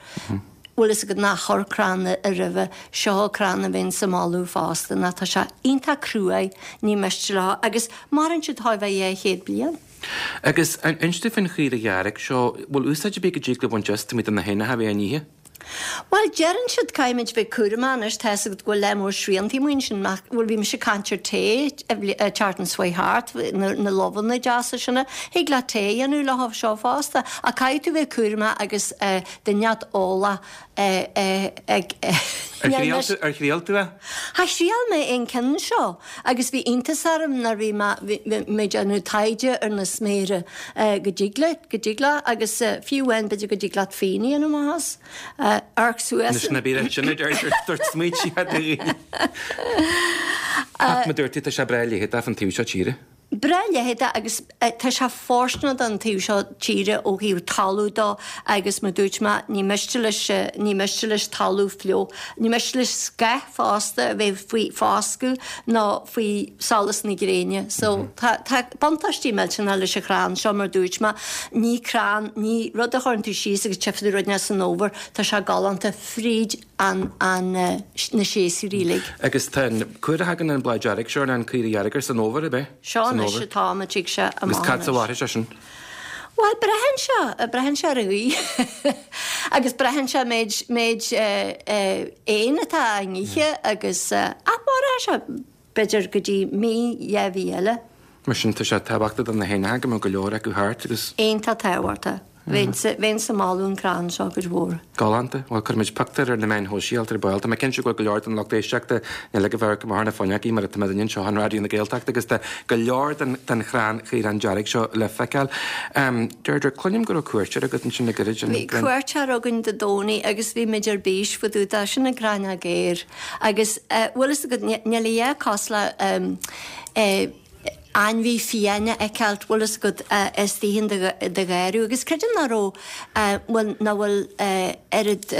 [SPEAKER 7] bhfuil fhios agat nár chuir crann roimhe, seo crann a bheinnse ag moladh fosta ná tá sé iontach cruaidh, ní miste leo agus maireann siad chóir a bheith dhá chéad bliain.
[SPEAKER 1] Agus inis domh faoin chaora dhearg seo, bhfuil úsáid ar bith go dtig le baint as taobh amuigh de na héanacha a bheith á n-ithe?
[SPEAKER 7] Bhuel, deireann siad, caithfimid bheith cúramach anois, tá fhios agat go bhfuil lear mór sriantaí amuigh ansin, ach, bhuel, bhí mise ag caint ar tae an tseachtain seo thart, na, na lobhanna deasa sin, thig leat tae a dhéanamh leo seo fosta, ach caithfidh tú bheith cúramach agus eh, duine inteacht eolach eh, eh, ag, eh,
[SPEAKER 1] Ar thriail tú, ar thriail tú é?
[SPEAKER 7] Ha, thriail mé an ceann seo agus bhí iontas orm nuair bhí mé, bhí, bhí mé ag déanamh taighde ar na sméara eh, go dtig le, go dtig le, agus eh, fiú amháin b'fhéidir go dtig leat fíon a dhéanamh amach as. Amharc suas.
[SPEAKER 1] Anois ná bí sin a deirtear, dúirt smaointe do dhaoine. Ach mar dúirt tú, tá sé breá leitheadach fan taobh seo tíre.
[SPEAKER 7] Breá leitheadach agus tá sé fóirsteanach don taobh seo tíre ó thaobh talamh dó agus mar dúirt mé, ní miste leis, ní miste leis talamh fliuch, ní miste leis scáth fosta a bheith faoi foscadh nó faoi solas na gréine. So tá, tá buntáistí millteanach leis an chrann seo mar dúirt mé, ní crann, ní rud a chuireann tú síos agus tchífidh tú rud inteacht san fhómhar, tá sé galánta fríd an, an, na séasúir uilig.
[SPEAKER 1] Agus tá an, cá huair a thagann an bláth dearg seo, an caora dhearg air san fhómhar, ab é?
[SPEAKER 7] Seo anois atá an tig sé
[SPEAKER 1] amach Agus cad fad a mhairfidh sé sin?
[SPEAKER 7] Bhuel, braitheann sé, braitheann sé ar an ghaoth agus braitheann sé méid, méid éin atá á n-ithe agus ach mairfidh sé b'fhéidir go dtí mí, dhá mhí eile.
[SPEAKER 1] Mar sin, tá sé tábhachtach do na héanacha go mbeadh go leor acu thart agus.
[SPEAKER 7] Iontach tábhachtach. Bheinnse, bheinnse ag moladh an crann seo cuid mhór.
[SPEAKER 1] Galánta. Bhuel, cuirfimid pictiúr ar na meáin shóisialta ar ball. Tá mé cinnte go bhfuil go leor den lucht éisteachta uilig ag amharc amach ar na fuinneogaí mar atá muidinne anseo in Raidió na Gaeltachta agus tá go leor den, den chrann chaorán dearg seo le feiceáil. Deirdre, cluinim go raibh cuairteoir agat ansin le gairid, an.
[SPEAKER 7] Bhí cuairteoir againn Dé Domhnaigh agus bhí muid ar bís fá dtaobh de, sin an gráinneog ghéar. Agus bhfuil fhios agat, níl a dhath cosúil le ainmhí fiáin a fheiceáilt, bhfuil fhios agat, istigh in do gharradh. Agus creidim nach raibh, bhuel, nach bhfuil oiread,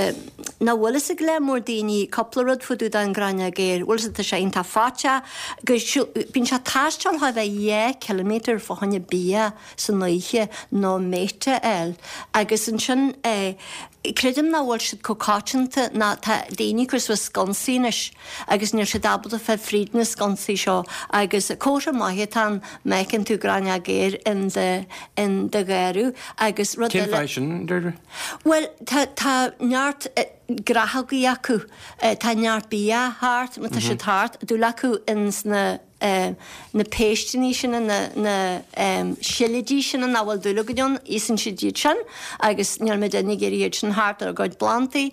[SPEAKER 7] nach bhfuil fhios ag lear mór daoine cúpla rud fá dtaobh den ghráinneog ghéar. Bhfuil fhios agat, tá sé iontach faiteach, go siúl, bíonn sé ag taisteal chóir a bheith dhá chiliméadar fá choinne bia san oíche nó mate a fháil. Agus ansin, creidim nach bhfuil siad chomh coitianta ná tá daoine ag cur suas sconsaí anois agus níl siad ábalta fáil fríd na sconsaí seo agus comhartha maith atá ann má fheiceann tú gráinneog ghéar in do in do gharradh agus rud
[SPEAKER 1] Cén
[SPEAKER 7] eile
[SPEAKER 1] fáth sin, Deirdre?
[SPEAKER 7] Bhuel tá tá neart Graitheogaí acu, tá neart bia thart, má tá siad thart, dul acu ins na na péisteanna sin, na na seilidí sin nach bhfuil dúil againn ann, íosann siad iad sin agus níl muid ag iarraidh iad sin thart ar ár gcuid plandaí.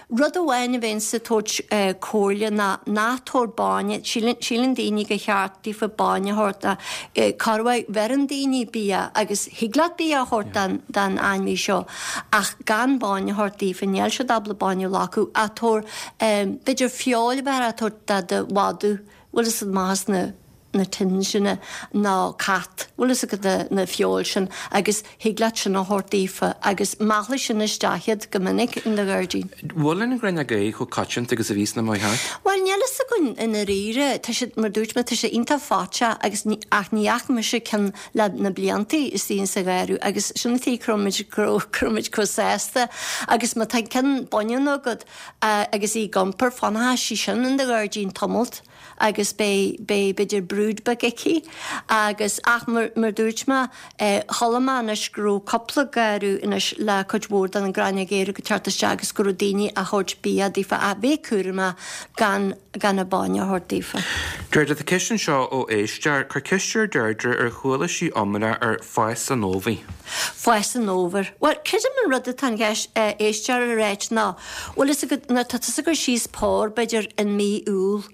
[SPEAKER 7] Rud amháin a bheinnse ag tabhairt comhairle ná ná tabhair bainne, síleann síleann daoine gur cheart daofa bainne a thabhairt ach corruair bheireann daoine bia agus thig leat bia a thabhairt don don ainmhí seo ach gan bainne a thabhairt daofa, níl siad ábalta bainne a ghlacadh ach tabhair b'fhéidir feoil a bheith á tabhairt do do mhadadh. Bhfuil fhios agat maith as na na tins sin nó cat, bhfuil fhios agat na na feoil sin agus thig leat sin a thabhairt daofa agus meallfaidh sin isteach iad go minic in do ghairdín.
[SPEAKER 1] Bhfuil an ghráinneog ae chomh coitianta agus a bhí sna amuigh thart?
[SPEAKER 7] Bhuel níl fhios againn i ndáiríre, tá siad mar dúirt mé tá sé iontach faiteach agus ní ach ní fhaca mise ceann le na bliantaí istigh insa gharradh agus sin an tuige go raibh muid go raibh go raibh muid chomh sásta agus má tá ceann baineann agat agus í ag iompar fanfaidh sí sin in do ghairdín tamalt. agus beidh, beidh b'fhéidir brood beag aici agus, ach mar, mar dúirt mé, eh, chuala mé anois go raibh cúpla garradh anois le cuid mhór den an gráinneog aeir ag teacht isteach agus go raibh daoine á thabhairt bia daofa ach bheith cúramach gan, gan an bainne a thabhairt daofa.
[SPEAKER 1] Deirdre, tá ceist anseo ó éisteoir, cuir ceist ar Deirdre ar chuala sí iomrá ar fás an fhómhair.
[SPEAKER 7] Fás an fhómhair. Bhuel, creidim an rud atá an cheist, eh, éisteoir a ráit ná, bhfuil fhios agat, nuair atá tusa ag cur síos pár, b'fhéidir in mí Iúil,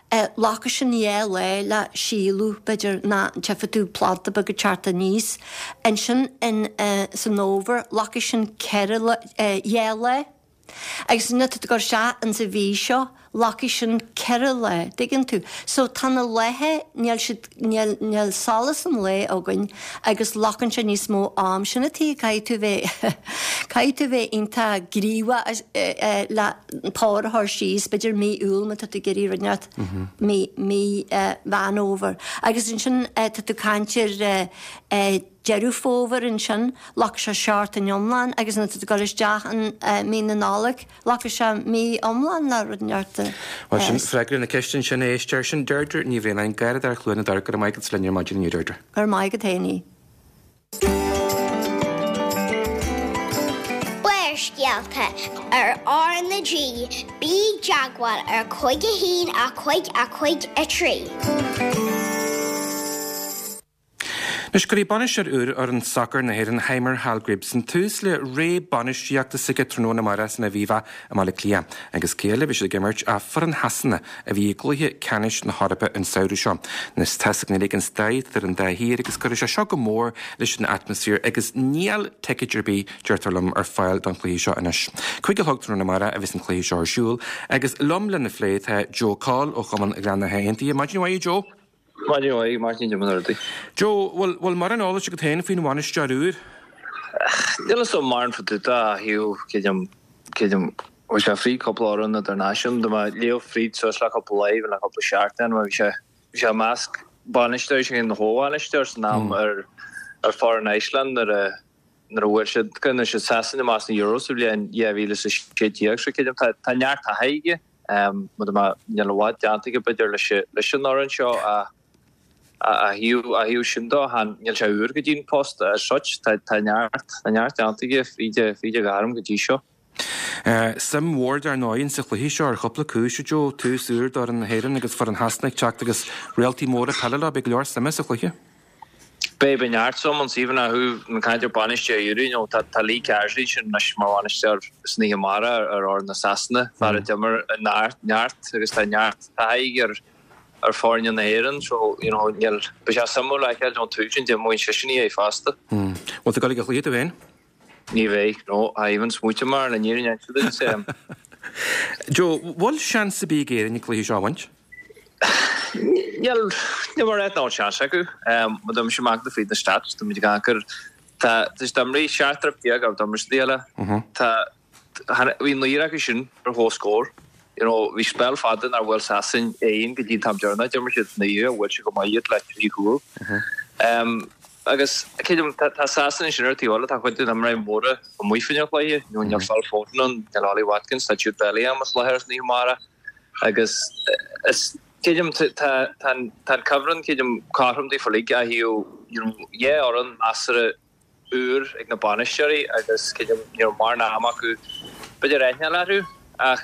[SPEAKER 7] Glacfaidh sin dhá lá le síolú, b'fhéidir, nó tchífidh tú planda beag ag teacht aníos. Ansin in san fhómhar, glacfaidh sin ceithre lá, dhá lá. Agus nuair atá tú ag cur isteach in sa mhí seo, glacfaidh sin ceithre lá, dtuigeann tú. So tá na laethe, níl siad, níl, níl solas an lae againn agus glacann sé níos mó am. Sin an tuige caithfidh tú bheith, caithfidh tú bheith iontach gníomhach le pár a chur síos, b'fhéidir mí Iúil má tá tú ag iarraidh rud inteacht, mí, mí Mheán Fhómhair. Agus ansin tá tú ag caint ar Deireadh Fómhair ansin, glacfaidh sé seachtain iomlán agus nuair atá tú ag dul isteach in mí na Nollag, glacfaidh sé mí iomlán le rud inteacht a
[SPEAKER 1] Bhuel, sin freagra na ceiste ansin, a éisteoir. Sin Deirdre Ní Bhraonáin, Garradóir Chluain na Dtor. Go raibh maith agat as linn ar maidin inniu, Deirdre.
[SPEAKER 7] Go raibh maith agat féin.
[SPEAKER 3] Barrscéalta ar R na G, bí i dteagmháil ar cúig a haon a cúig a cúig a trí.
[SPEAKER 1] Anois, cuirfidh bainisteoir úr fhoireann sacair na hÉireann, Heimir Hallgrímsson, tús le ré bainistíochta s'aige tráthnóna amárach san Aviva i mBaile Átha Cliath. Agus cé eile a bheidh siad ag imirt ach foireann Shasana a bhí i gcluiche ceannais na hEorpa an samhradh seo. Anois tá's againn uilig an stair idir an dá thír agus cuirfidh sé seo go mór leis an atmaisféar agus níl ticéid ar bith, deirtear liom, ar fáil don chluiche seo anois. Cúig a chlog tráthnóna amárach a bheas an cluiche seo ar siúl agus liom lena phlé tá Joe Coll ó Chumann Ghleann Átha Aontaithe. Maidin mhaith, a Joe.
[SPEAKER 8] Maidin mhaith, Máirtín, cad é mar atá rudaí.
[SPEAKER 1] Joe, bhfuil, bhfuil mórán eolais agat féin faoin bhainisteoir úr?
[SPEAKER 8] Níl fhios agam mórán fá dtaobh de, ó thaobh, creidim, creidim, bhí sé fríd cúpla fhoireann idirnáisiúnta, mé ag léamh fríd suas le cúpla lá, le cúpla seachtain, mar bhí sé, bhí sé i measc bainisteoirí, sé ina chomhbhainisteoir san am ar, ar foireann Iceland nuair a, nuair a bhuail siad, nuair siad Sasana amach sna Euros sa bhliain dhá mhíle is a sé déag, so creidim, tá, tá neart taithí aige. Mar a níl i bhfad déanta aige b'fhéidir leis an fhoireann seo ach ó thaobh sin de níl sé úr go dtí an post as such. Tá neart tá neart déanta aige fríd fríd a ghairm go dtí seo.
[SPEAKER 1] Suim mhór dar ndóigh insa chluiche seo ar chúpla cúis, a Joe, tús úr d'fhoireann na hÉireann agus foireann Shasana ag teacht agus réaltaí móra peile leo, beidh go leor suime sa chluiche.
[SPEAKER 8] Beidh, beidh neart suim ann even ó thaobh na caint ar bainisteoir úr, you know, tá tá Lee Carsley ansin anois mar bhainisteoir san oíche amárach ar fhoireann na Sasana, fear a d'imir i neart neart agus tá neart taithí aige ar ar foirne na hÉireann so, you know, níl, beidh sé suimiúil a fheiceáil ón tús sin d'imreoidh seisean í fosta.
[SPEAKER 1] Bhfuil tú ag dul ag an chluiche tú féin?
[SPEAKER 8] Ní bheidh, no, I even smaointe mar le níor an duit.
[SPEAKER 1] Joe, bhfuil seans ar bith ag Éirinn an cluiche seo a bhaint?
[SPEAKER 8] Níl, níl mar nach bhfuil seans acu. Má tá mise amach fríd na stats, tá muid ag amharc ar, tá, tá siad imrithe seacht roimh déag acu d'imir siad eile. Tá, bhí naonúr acu sin ar comhscór. You know, bhí spell fada nár bhuail Sasain aon go dtí an t-am deireanach, d'imir siad naoi, bhuail siad go maith iad le trí chúl. Agus creidim, tá Sasana ansin ar an taobh eile, tá cuid de na himreoirí móra amuigh faoin chluiche, you know, níl Phil Foden ann, níl Ollie Watkins, tá Jude Bellingham as láthair san oíche amárach agus is, creidim, tá, tá an, tá an cuibhreann, creidim, cothrom daofa uilig ó thaobh, you know, dhá fhoireann measartha úr ag na bainisteoirí agus creidim, you know, mórán ama acu b'fhéidir aithne orthu ach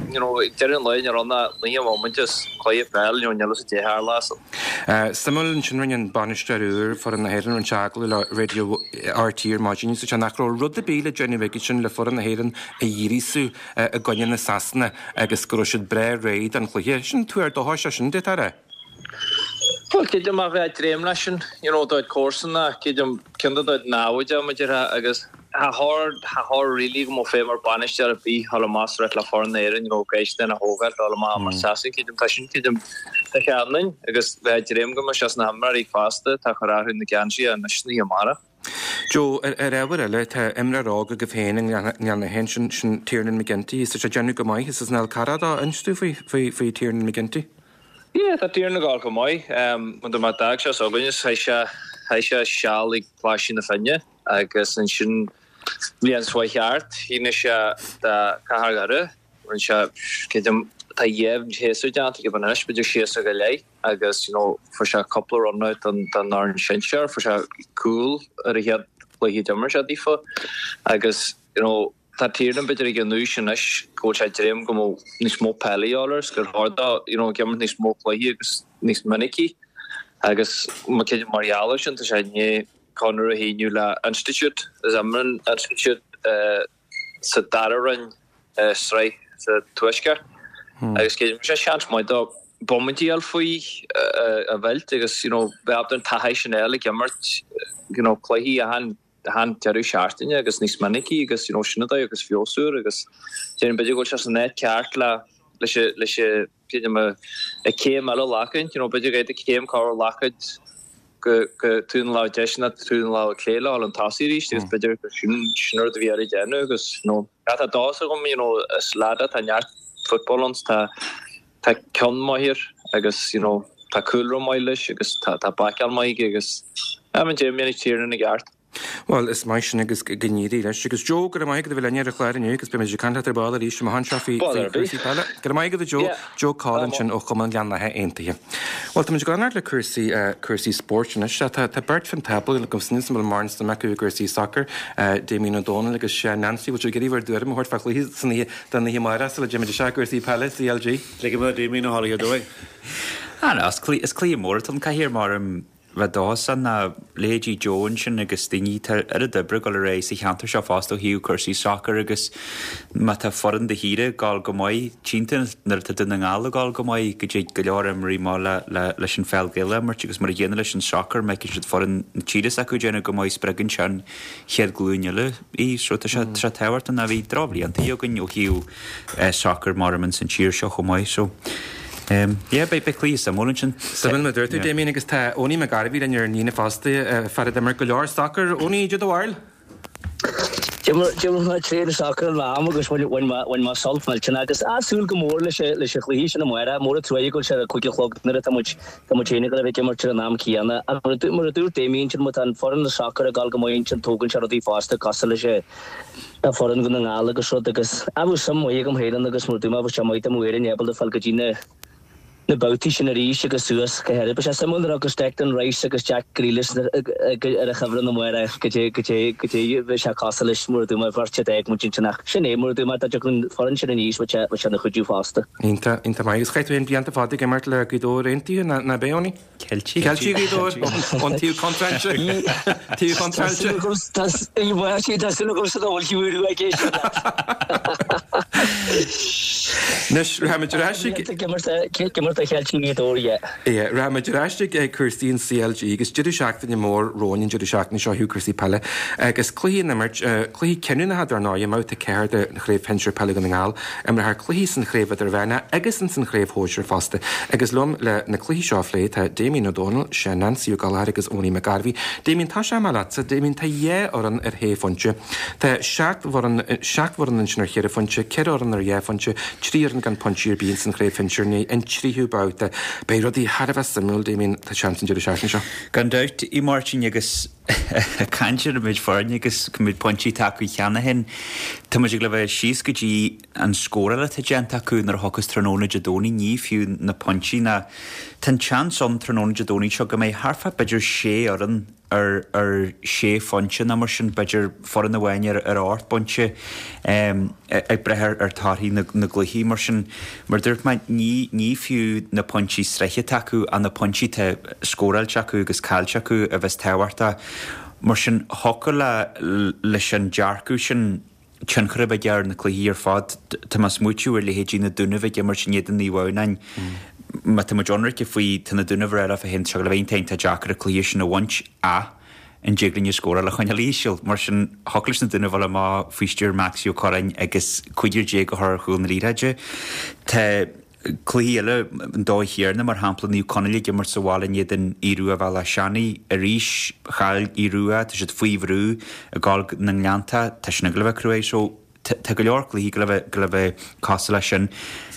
[SPEAKER 8] you know ag deireadh an lae ní raibh ach naocha móimint is cluiche peile you know níl a fhios caidé a tharla so.
[SPEAKER 1] Suimiúil ansin rinne an bainisteoir úr foireann na hÉireann rinne sé agallamh le Radio RTÉ ar maidin is sé nach raibh rud ar bith le déanamh aige sin le foireann na hÉireann a ghríosú i gcoinne na Sasana agus go raibh siad breá réidh don chluiche. Sin tuar dóchais é sin, d'fhéadfá a rá.
[SPEAKER 8] Bhuel, creidim a bheith ag dréim leis sin, you know, dá comharsana, creidim ceann de do namhaid mar a déarfá agus cha chóir, cha chóir really go mbeadh feidhm ar bainisteoir ar bith dhul amach is rith le foireann na hÉireann, you know, gaisce a thógáil, dul amach mar Sasain, creidim tá sin, creidim tá sé ionainn agus bheith ag dréim go mbeadh sé sna himreoirí fosta atá ag cur orthu na geansaithe anois san oíche amárach.
[SPEAKER 1] Joe, ar ábhar eile, tá imreoir óg agaibh féin i nGleann Átha sin, sin Tiernan McGinty, is tá sé ag déanamh go maith, is as an Fhál Carrach dó, inis dúinn faoi, faoi, faoi Tiernan McGinty.
[SPEAKER 8] Yeah, tá Tiernan ag gabháil go maith. Mar a d'fhág sé s'againne, chaith sé, chaith sé seal ag Coláiste na Finne agus ansin bhliain seo thart, shínigh sé do Chathair Dhoire, rinne sé, creidim, tá dhá shéasúr déanta aige anois, b'fhéidir séasúr go leith agus you know fuair sé cúpla run out don don fhoireann sinsear, fuair sé cúl ar a chéad chluiche a d'imir sé daofa agus you know tá Tiernan b'fhéidir ag an aois anois go bhfuil sé ag dréim go mbeadh níos mó peile a dhíobháil air is gur chóir dó you know ag imirt níos mó cluichí agus níos minicí agus mar creidim mar gheall air sin tá sé i ndiaidh conradh a shíniú le Institute is imríonn Institute sa dara roinn sraith sa Tuaisceart agus creidim sé seans maith dó bomaintí a fháil faoi a bheilt agus you know bheith ábalta an taithí sin a fháil ag imirt you know cluichí achan achan deireadh seachtaine agus níos minicí agus you know sin an dóigh agus feabhsú air agus déarfainn b'fhéidir go bhfuil sé san áit ceart le leis an leis an creidim a céim eile a ghlacaint you know b'fhéidir go gcaithfidh céim cabhair a ghlacaint go go taobh na láimhe deise nó taobh na láimhe clé le dhul chun tosaigh arís agus b'fhéidir gur sin sin rud a bhí air a dhéanamh agus you know tá dóchas agam you know is leaid é tá neart football ann tá tá ceann maith air agus you know tá cúlra maith leis agus tá tá baiceáil maith aige agus I mean déarfainn go ndéanfaidh Tiernan i gceart.
[SPEAKER 1] Bhuel, is maith sin agus go n-éirí leis. Agus Joe, go raibh maith agat a bheith linn ar an chlár inniu agus beidh muid ag caint leat ar ball arís amach anseo faoi chúrsaí peile. Go raibh maith agat a Joe. Joe Coll ansin ó Chumann Ghleann Átha Aontaithe. Bhuel, tá muid ag leanacht le cúrsaí cúrsaí spóirt anois. Tá tá beirt fán tábla agam sin is bhfuil mórán suim acu i gcúrsaí sacair, Damien Ó Dónaill agus Seán Nancy. Bhfuil sibh ag iarraidh bhur dtuairim a thabhairt fá chluiche san oíche don oíche amárach sula dtéimid isteach i gcúrsaí peile CLG?
[SPEAKER 9] Ligfidh mé do Damien a dhul ar dóigh.
[SPEAKER 10] Ah, no, is cluiche mór atá ann Cathaoir mar bheith dóchasach ná leithéidí Joe ansin agus daoine, tá oiread oibre ag dul ar aghaidh sa cheantar seo fosta ó thaobh cúrsaí sacair agus má tá foireann do thíre ag dul go maith, tchíonn tú nuair atá Dún na nGall ag dul go maith go dtig go leor imreoirí maith le, le, leis an pheil Ghaelach a imirt agus mar a gcéanna leis an sacar, má fheiceann siad foireann na tíre s'acu ag déanamh go maith spreagann sé an chéad ghlúin eile í so tá sé, tá sé tábhachtach ná bhí drochbhlianta againn ó thaobh sacair mar ins an tír seo chomh maith so. Yeah, beidh beidh cluiche suimiúil ansin.
[SPEAKER 1] Suimiúil mar a dúirt tú, Damien, agus tá Owenie McGarvey linn ar an líne fosta, fear a d'imir go leor sacair. Owenie, caidé do bharúil?
[SPEAKER 11] D'imir mé tréan sacair in am agus bhain bhain mé sult millteanach agus ah súil go mór leis leis an chluiche sin amárach. Mór an truaighe go bhfuil sé ar a cúig a chlog nuair atá muid tá muid féin ag dul a bheith ag imirt ar an am céanna. Ach mar a mar a dúirt Damien ansin má tá an foireann sacair ag dul go maith ansin tógann sé rudaí fosta cosúil leis an foireann Dhún na nGall agus rud agus ah bheadh suim mhaith agam féin ann agus mar a dúirt mé bheadh sé maith dá mbeadh Éirinn ábalta fáil go dtí na na babhtaí sin arís agus suas go háirid. Beidh sé suimiúil nuair a thiocfas Declan Rice agus Jack Grealish ar an chuibhreann amárach caidé caidé caidé bheidh sé cosúil leis mar a dúirt mé bheirt a d'fhág muid ansin ach sin é mar a dúirt mé dá dtiocfadh an foireann sin aníos bheadh sé bheadh sé ina chuidiú fosta.
[SPEAKER 1] Iontach, iontach maith. Agus chaith tú féin blianta fada ag imirt le Gaoth Dobhair Aontaithe, nach b'é, Owenie?
[SPEAKER 10] Ceiltigh.
[SPEAKER 1] Ceiltigh Ghaoth Dobhair ón taobh contráilte. Taobh contráilte.
[SPEAKER 11] Tá súil agamsa nach bhfuil fiú ag éisteacht leat.
[SPEAKER 1] Anois, rachaimid ar ais ag.
[SPEAKER 11] Ag imirt do Cheiltigh Ghaoth Dobhair, yeah.
[SPEAKER 1] Yeah, rachaimid ar ais ag cúrsaí an CLG agus deireadh seachtaine mór romhainn an deireadh seachtaine seo ó thaobh cúrsaí peile agus cluichí á n-imirt, cluichí cinniúnacha dar ndóigh, i mbabhta ceathair de Chraobh Shinsir Peile Dhún na nGall, imreofar cluichí san chraobh idirmheánach agus ins an chraobh shóisir fosta. Agus liom le na cluichí seo a phlé tá Damien Ó Dónaill, Seán Nancy Ó Gallchóir agus Owenie McGarvey. Damien, tosóidh mé leatsa. Damien, tá dhá fhoireann ar shé phointe. Tá seacht bhfoireann, seacht bhfoireann ansin ar cheithre phointe, ceithre fhoireann ar dhá phointe, trí fhoireann gan pointí ar bith ins an chraobh shinsir i ndiaidh an tríú babhta. Beidh rudaí thar a bheith suimiúil, Damien, tá seans an deireadh seachtaine seo.
[SPEAKER 10] Gan dabht, a Mháirtín, agus ag caint ar an méid foirne agus an méid pointí atá acu cheana féin, tá muid ag le bheith síos go dtí an scóráil atá déanta acu nuair a thiocfas tráthnóna Dé Domhnaigh, ní fiú na pointí ná tá an tseans ann tráthnóna Dé Domhnaigh seo go mbeidh thart fá b'fhéidir sé fhoireann ar ar sé phointe nó mar sin, b'fhéidir foireann amháin ar ar ocht bpointe ag breith ar ar torthaí na na gcluichí mar sin. Mar dúirt mé ní ní fiú na pointí sroichte acu ach na pointí atá scóráilte acu agus caillte acu a bheas tábhachtach. Mar sin thiocfadh le leis an dearcadh sin tionchar a bheith aige ar na cluichí ar fad. Tá mé ag smaoitiú ar leithéidí na Dúnaibh ag imirt in éadan Naomh Adhamhnáin. Má tá muid ionraice faoi, tá na Dúnaibh ar a féin, tá sé ag bheith iontach deacair an cluiche sin a bhaint ach an dtig linn an scóráil a choinneáil íseal. Mar sin, thiocfadh leis na Dúnaibh dul amach faoi stiúir Maxie Ó Curráin agus cúigear déag a chur ar chúl na liathróide. Tá cluichí eile an dóigh chéanna, mar shampla Naomh Conaill ag imirt sa bhaile in éadan Aodh Rua Bhealach Seanaidh. Arís, chaill Aodh Rua, tá siad faoi bhrú ag gabháil go na nGleannta, tá sin ag dul a bheith cruaidh. So, tá go leor cluichí ag dul a bheith cosúil leis sin.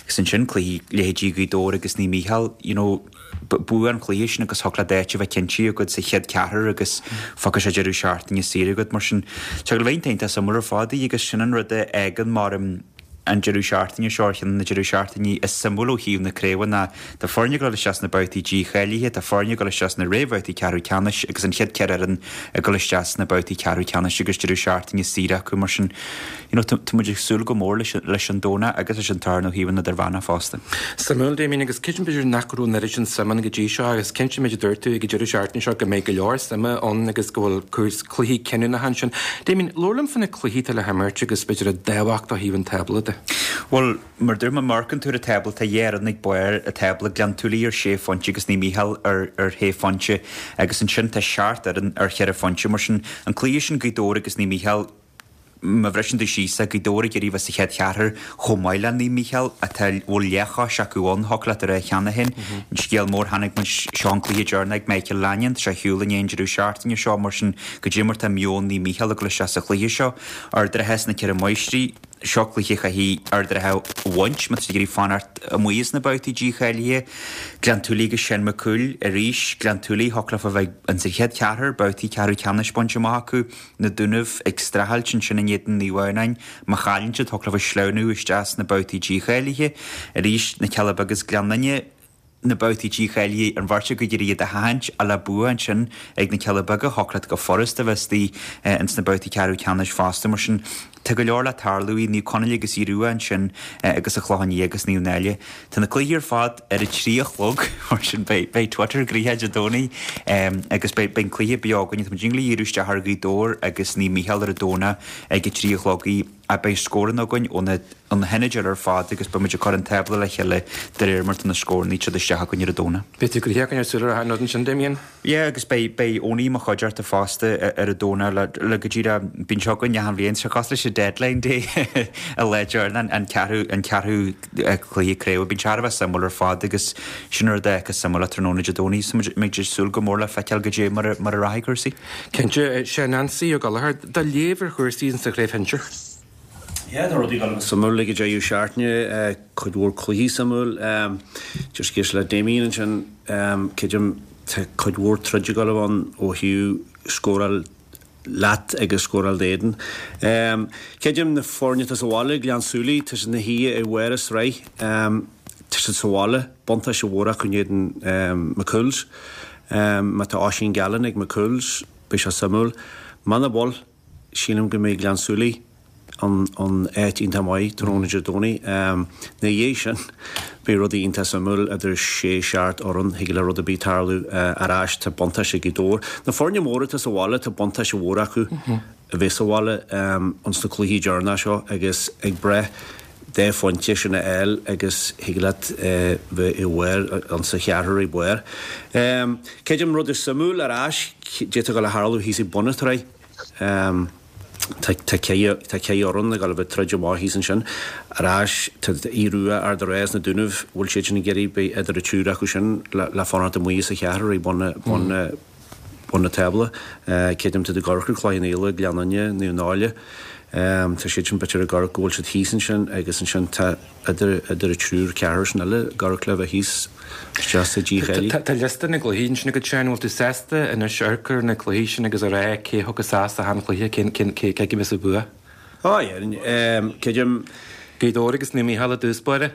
[SPEAKER 10] Agus ansin cluichí leithéidí Ghaoth Dobhair agus Naomh Mícheál, you know, bua an chluiche sin agus thiocfadh leat áit a bheith cinnte agat sa chéad cheathrar agus fágfaidh sé deireadh seachtaine saor agat. Mar sin, tá go leor iontach suimiúil ar fad í agus sin an rud a fhágann mar an deireadh seachtaine seo ar cheann de na deireadh seachtainí is suimiúla ó thaobh na craoibhe ná tá foirne ag dul isteach sna babhtaí dícháilithe, tá foirne ag dul isteach sna réamhbhabhtaí ceathrú ceannais agus an chéad ceithre fhoireann ag dul isteach sna babhtaí ceathrú ceannais agus deireadh seachtaine saor acu mar sin you know, tá muid ag súil go mór leis, leis an Domhnach agus leis an Satharn ó thaobh an idirmheánach fosta.
[SPEAKER 1] Suimiúil, Damien, agus cinnte b'fhéidir nach raibh an oiread sin suim ann go dtí seo agus cinnte méid a dúirt tú ag an deireadh seachtaine seo go mbeidh go leor suime ann agus go bhfuil cluichí cinniúnacha ansin. Damien, labhair liom faoi na cluichí atá le himirt agus b'fhéidir a dtábhacht ó thaobh an tábla de.
[SPEAKER 10] Bhuel, mar dúirt mé, má amharcann tú ar an tábla, tá dhá fhoireann ag barr an tábla, Gleann tSúilí ar sé phointe agus Naomh Mícheál ar ar shé phointe agus ansin tá seacht fhoireann ar cheithre phointe. Mar sin, an cluiche sin Gaoth Dobhair agus Naomh Mícheál, má bhriseann tú síos é, Gaoth Dobhair ag iarraidh bheith sa chéad cheathrar chomh maith le Naomh Mícheál atá bhfuil leathchois acu ann, thiocfadh leat a rá cheana féin. An scéal mór, chonaic muid seo an cluiche deireanach ag Michael Lanyon, tá sé ar shiúl i ndiaidh an deireadh seachtaine seo, mar sin goidé mar tá meon Naomh Mícheál ag dul isteach sa chluiche seo. Ard an Rátha is na Ceithre Máistrí. Seo cluiche a chaithfidh Ard an Rátha a bhaint má tá siad ag iarraidh fanacht amuigh as na babhtaí dícháilithe. Gleann tSúilí agus Seán Mac Cumhaill arís. Gleann tSúilí, thiocfadh leofa bheith ins an chéad cheathrar, babhtaí ceathrú ceannais bainte amach acu. Na Dúnaibh ag streachailt ansin in éadan Naomh Adhamhnáin. Má chailleann siad, thiocfadh leofa sleamhnú isteach sna babhtaí dícháilithe. Arís, Na Cealla Beaga is Gleann Fhinne. na babhtaí dícháilithe, an bheirt acu ag iarraidh iad a sheachaint ach le bua ansin ag na Cealla Beaga, thiocfadh leat go furasta bheith istigh ins na babhtaí ceathrú ceannais fosta. Mar sin, tá go leor le tarlú i Naomh Conaill agus Aodh Rua ansin agus an Clochán Liath agus Naomh Náille. Tá na cluichí ar fad ar a trí a chlog, mar sin beidh beidh Twitter gnoitheach Dé Domhnaigh agus beidh beidh an cluiche beo againn. Tá muid ag díriú isteach ar Ghaoth Dobhair agus Naomh Mícheál ar an Domhnach ag a trí a chlog. Ach beidh scóranna againn ó na ó na hionaid eile ar fad agus beidh muid ag cur an tábla le chéile de réir mar tá na scóranna ag teacht isteach againn ar an Domhnach.
[SPEAKER 1] Beidh tú gnoitheach againn ar súil ar an rud ansin, Damien.
[SPEAKER 10] Yeah, agus beidh beidh Owenie i mo chuideachta fosta ar an Domhnach le le go díreach bíonn seo againn achan bhliain, seo cosúil leis an deadline day an lá deireanach an ceathrú an ceathrú cluiche craoibhe. Bíonn sé thar a bheith suimiúil ar fad agus sin an rud a fheiceas suimiúil tráthnóna Dé Domhnaigh. So muid ag súil go mór le feiceáil goidé mar a mar a rachaidh cúrsaí.
[SPEAKER 1] Cinnte, sé Neansaí Ó Gallchóir, do léamh ar chúrsaí sa chraobh shinsir.
[SPEAKER 9] Yeah, tá rudaí ag dul suimiúil ag an deireadh seachtaine, cuid mhór cluichí suimiúil. Just ag éisteacht le Damien ansin, creidim tá cuid mhór troid ag dul ann ó thaobh scóráil leat agus scóráil d'éadan. Creidim na foirne atá sa bhaile, Gleann tSúilí, tá siad ina shuí i bharr an sraith, tá siad sa bhaile, buntáiste mhór acu in éadan McCool's. Má tá Oisín Gallen ag McCool's, beidh sé suimiúil. Muna bhfuil, sílim go mbeidh Gleann tSúilí in in áit iontach maith tráthnóna Dé Domhnaigh. Ina dhiaidh sin, beidh rudaí iontach suimiúil idir sé seacht fhoireann, thig le rud ar bith tarlú ar ais, tá buntáiste ag Gaoth Dobhair. Na foirne móra atá sa bhaile, tá buntáiste mhór acu a bheith sa bhaile ins na cluichí deireanacha seo agus ag breith dá phointe sin a fháil agus thig leat bheith i bharr insa cheathrar i mbarr. Creidim rud is suimiúil ar ais, d'fhéadfadh a tharlú thíos ag bun an tsraith. Tá ceithre fhoireann ag dul a bheith ag troid amach thíos ansin. Ar ais, tá Aodh Rua, Ard an Rátha is na Dúnaibh, bhfuil siad sin ag iarraidh, beidh idir an triúr acu sin le fanacht amuigh sa cheathrar ag bun bun na tábla. Creidim tá ag amharc ar Cloich Cheann Fhaola, Gleann Fhinne, Naomh Náille. Tá siad sin b'fhéidir ag amharc go bhfuil siad thíos ansin agus ansin tá idir idir an triúr ceathrar sin eile ag amharc le bheith thíos isteach sa dícháiliú.
[SPEAKER 1] Tá liosta na gcluichí ansin agat Seán, bhfuil tú sásta anois amharc ar na cluichí sin agus a rá cé thiocfas as achan chluiche, cén cén cé cé a bheas ag bua?
[SPEAKER 9] Ó yeah, creidim.
[SPEAKER 1] Gaoth Dobhair agus Naomh Mícheál i dtús báire.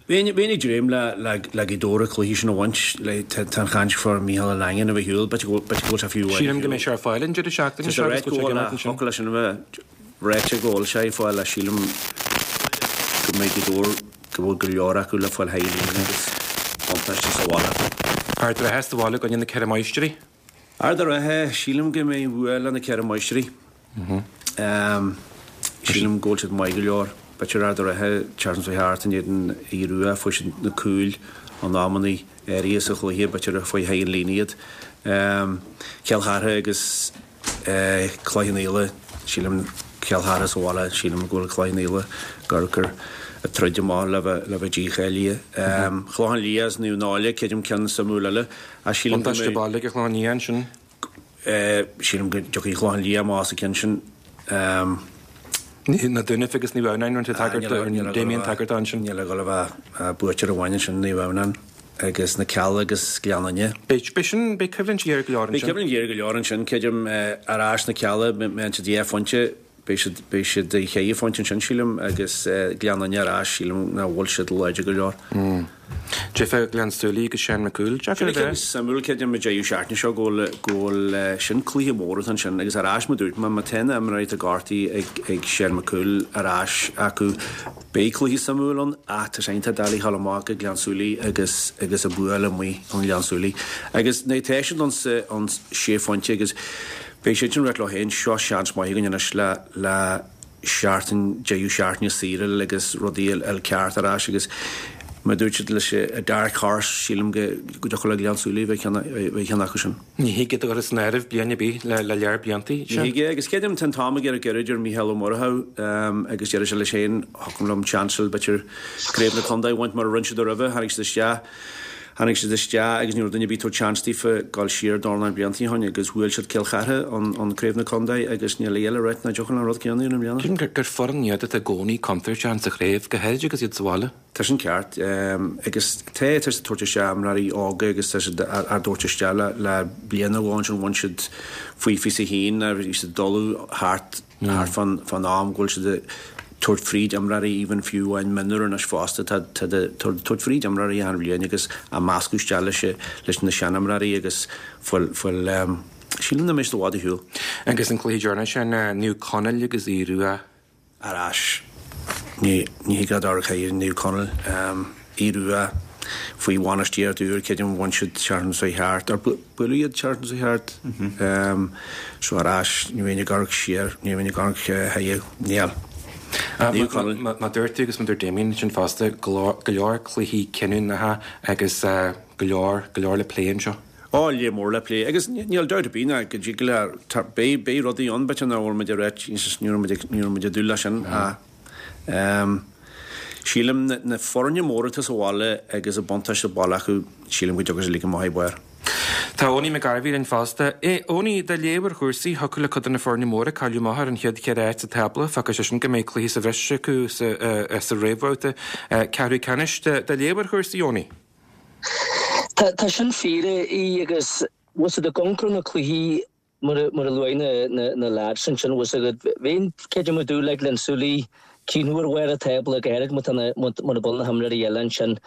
[SPEAKER 9] Bheinn ag dréim le Gaoth Dobhair an cluiche sin a bhaint, tá an chaint fá Mícheál Ó Langan a bheith ar shiúl, b'fhéidir go bhfuil sé fiú.
[SPEAKER 1] Sílim go mbeidh sé ar fáil an deireadh seachtaine seo agus go bhfuil sé ag imirt ansin.
[SPEAKER 9] Thiocfadh leis sin a bheith ráite go bhfuil sé ar fáil ach sílim go mbeidh Gaoth Dobhair, go bhfuil go leor acu le fáil thar an líne agus buntáiste sa bhaile.
[SPEAKER 1] Ard an Rátha sa bhaile i gcoinne na Ceithre Máistrí.
[SPEAKER 9] Ard an Rátha, sílim go mbeidh bua le na Ceithre Máistrí. Sílim go bhfuil siad maith go leor. B'fhéidir Ard an Rátha, tseachtain seo thart in éadan Aodh Rua, fuair siad na cúil in amannaí áirithe sa chluiche, b'fhéidir a fuair thar an líne iad. Cill Chartha agus Cloich Cheann Fhaola, sílim Cill Chartha sa bhaile, sílim go bhfuil Cloich Cheann Fhaola gur gur ag troid amach le bheith le bheith dícháilithe. Clochán Liath is Naomh Náille, creidim ceann suimiúil eile, ach sílim go
[SPEAKER 1] mbeidh. Buntáiste baile ag Clochán Liath ansin.
[SPEAKER 9] Sílim go dtiocfaidh Clochán Liath amach as an gceann sin.
[SPEAKER 1] Na Dúnaibh agus Naomh Adhamhnáin, rinne tú tagairt do Damien tagairt dó ansin.
[SPEAKER 9] Níl a dhul a bheith buaiteoir amháin ansin, Naomh Adhamhnáin agus na Cealla agus Gleann Fhinne.
[SPEAKER 1] Beidh, beidh sin, beidh coimhlint ghéar go leor
[SPEAKER 9] ansin. Beidh coimhlint ghéar go leor ansin, creidim, ar ais na Cealla, mbeidh siad dhá phointe, beidh siad, beidh siad cheithre phointe ansin, sílim, agus Gleann Fhinne ar ais, sílim nach bhfuil siad láidir go leor.
[SPEAKER 1] Deifir Ghleann tSúilí agus Seán Mac Cumhaill,
[SPEAKER 9] deacair a bheith. Sin suimiúil, creidim, an deireadh seachtaine seo go bhfuil, go bhfuil sin cluiche mór atá ansin agus ar ais mar dúirt mé, má tá na imreoirí atá gortaithe ag, ag Seán Mac Cumhaill ar ais acu, beidh cluiche suimiúil ann ach tá sé iontach doiligh a ghabháil amach go Gleann tSúilí agus, agus a bhualadh amuigh i nGleann Súilí. Agus nuair atá siad ann sa, ann sé phointe agus beidh siad sin ag rá leo féin, seo seans maith againn anois le, le, seachtain, deireadh seachtaine saor agus rudaí a fháil ceart ar ais agus mar a dúirt siad leis a dark horse, sílim go dtiocfadh le Gleann Súilí bheith ceann acu sin.
[SPEAKER 1] Ní thig iad a chur as an áireamh bliain ar bith le lear bliantaí.
[SPEAKER 9] Ní thig é agus creidim tá an t-am ag iarraidh gairid ar Mícheál Ó Murchú agus deir sé leis féin, thiocfadh liom seans b'fhéidir craobh na contae a bhaint mar a rinne siad roimhe, tháinig siad isteach. Tháinig siad isteach agus ní raibh duine ar bith ag tabhairt seans daofa dul siar dornán blianta ó shin agus bhuail siad Cill Chartha ann Craobh na Contae agus níl a fhios le ráit nach dtiocfadh an rud céanna a dhéanamh i mbliana.
[SPEAKER 1] Sílim gur foireann iad atá i gcónaí contúirteach ins an chraobh, go háirid agus iad sa bhaile.
[SPEAKER 9] Tá sin ceart. Agus tá, tá siad ag tabhairt isteach imreoirí óga agus tá siad á dtabhairt isteach le le bliain nó dhó ansin bhain siad faoi fiche a haon bhí siad ag dul thart thart fán fán am go bhfuil siad ag tabhairt fríd imreoirí even fiú amháin mionúr anois fosta tá tá tabhairt fríd imreoirí achan bhliain agus á meascadh isteach leis leis na seanimreoirí agus fuil fuil sílim nach mbeidh siad i bhfad ar shiúl.
[SPEAKER 1] Agus an cluiche deireanach sin Naomh Conaill agus Aodh Rua.
[SPEAKER 9] Ar ais ní ní thig leat amharc ar Naomh Conaill Aodh Rua faoi bhainistíocht úr creidim bhain siad seachtain seo thart ar buaileadh iad seachtain seo thart so ar ais ní bheinn ag amharc siar ní bheinn ag amharc chuige níl
[SPEAKER 1] Naomh Conaill. Mar dúirt tú agus mar dúirt Damien ansin fosta go leor cluichí cinniúnacha agus go leor go leor le plé anseo.
[SPEAKER 9] Ó, lear mór le plé agus níl dabht ar bith ná go dtig le beidh beidh rudaí ann b'fhéidir nach bhfuil muid ag ráit ní raibh muid ag ní raibh muid ag dúil leis sin ach Sílim na foirne móra atá sa bhaile agus an buntáiste baile acu, sílim go dtiocfaidh siad uilig amach ar barr.
[SPEAKER 1] Tá Owenie McGarvey linn fosta. Owenie, do léamh ar chúrsaí, thiocfadh le cuid de na foirne móra cailleadh amach ar an chéad cheithre áit sa tábla. Fágfaidh sé sin go mbeidh cluiche sa bhreis acu sa réamhbhabhta ceathrú ceannais. Do léamh ar chúrsaí, Owenie?
[SPEAKER 11] Tá sin fíor, a Aoidh, agus bhfuil 's agat ag amharc ar na cluichí Mar a luaigh na lads ansin, bhfuil 's agat, bheinn creidim ag dúil le Gleann tSúilí críochnú ar bharr an tábla, go háirid má tá na, mura bhfuil na himreoirí eile ansin.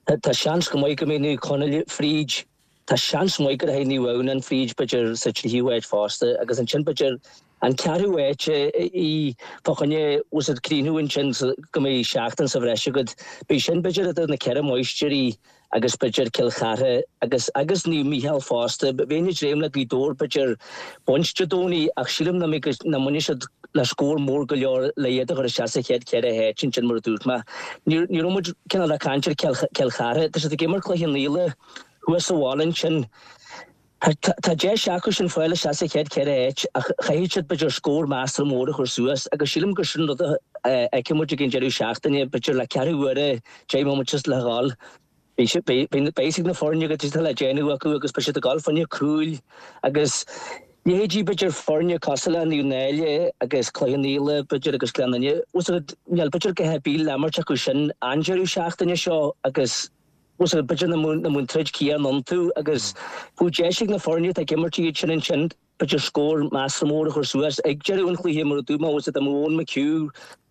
[SPEAKER 11] Tá seans go maith go mbeidh Naomh Conaill fríd, tá seans maith go rachaidh Naomh Adhamhnáin fríd b'fhéidir sa tríú háit fosta agus ansin b'fhéidir an ceathrú háit í fá choinne, bhfuil 's agat, críochnú ansin go mbeidh seachtain sa bhreis agat. Beidh sin b'fhéidir idir na ceithre máistrí agus b'fhéidir Cill Chartha agus agus Naomh Mícheál fosta. Bheinn ag dréim le Gaoth Dobhair b'fhéidir baint Dé Domhnaigh ach sílim nach mbeidh nach mbainfidh siad le scór mór go leor le iad a chur isteach sa chéad cheithre háit ansin mar a dúirt mé. Ní ní raibh muid cineál ag caint ar Cill Cill Chartha. Tá siad ag imirt Cloich Cheann Fhaola thuas sa bhaile ansin. Tá deis acu sin fáil isteach sa chéad cheithre háit ach chaithfidh siad b'fhéidir scór measartha mór a chur suas agus sílim gur sin rud a fheicfidh muid ag an deireadh seachtaine, b'fhéidir le ceathrú uaire, deich mbomaite le dhul. Beidh a fhios ag na foirne cad atá le déanamh acu agus beidh siad ag dul fá choinne cúil agus leithéidí b'fhéidir foirne cosúil le Naomh Náille agus Cloich Cheann Fhaola b'fhéidir agus Gleann Fhinne. Níl b'fhéidir a dhath ar bith le imirt acu sin an deireadh seachtaine seo agus bhfuil 's agat b'fhéidir nach mbeadh an troid chéanna iontu agus bheadh deis ag na foirne atá ag imirt iad sin ansin b'fhéidir scór measartha mór a chur suas ag deireadh an chluiche mar a dúirt mé bhfuil 's agat dá mbeadh Eoin McHugh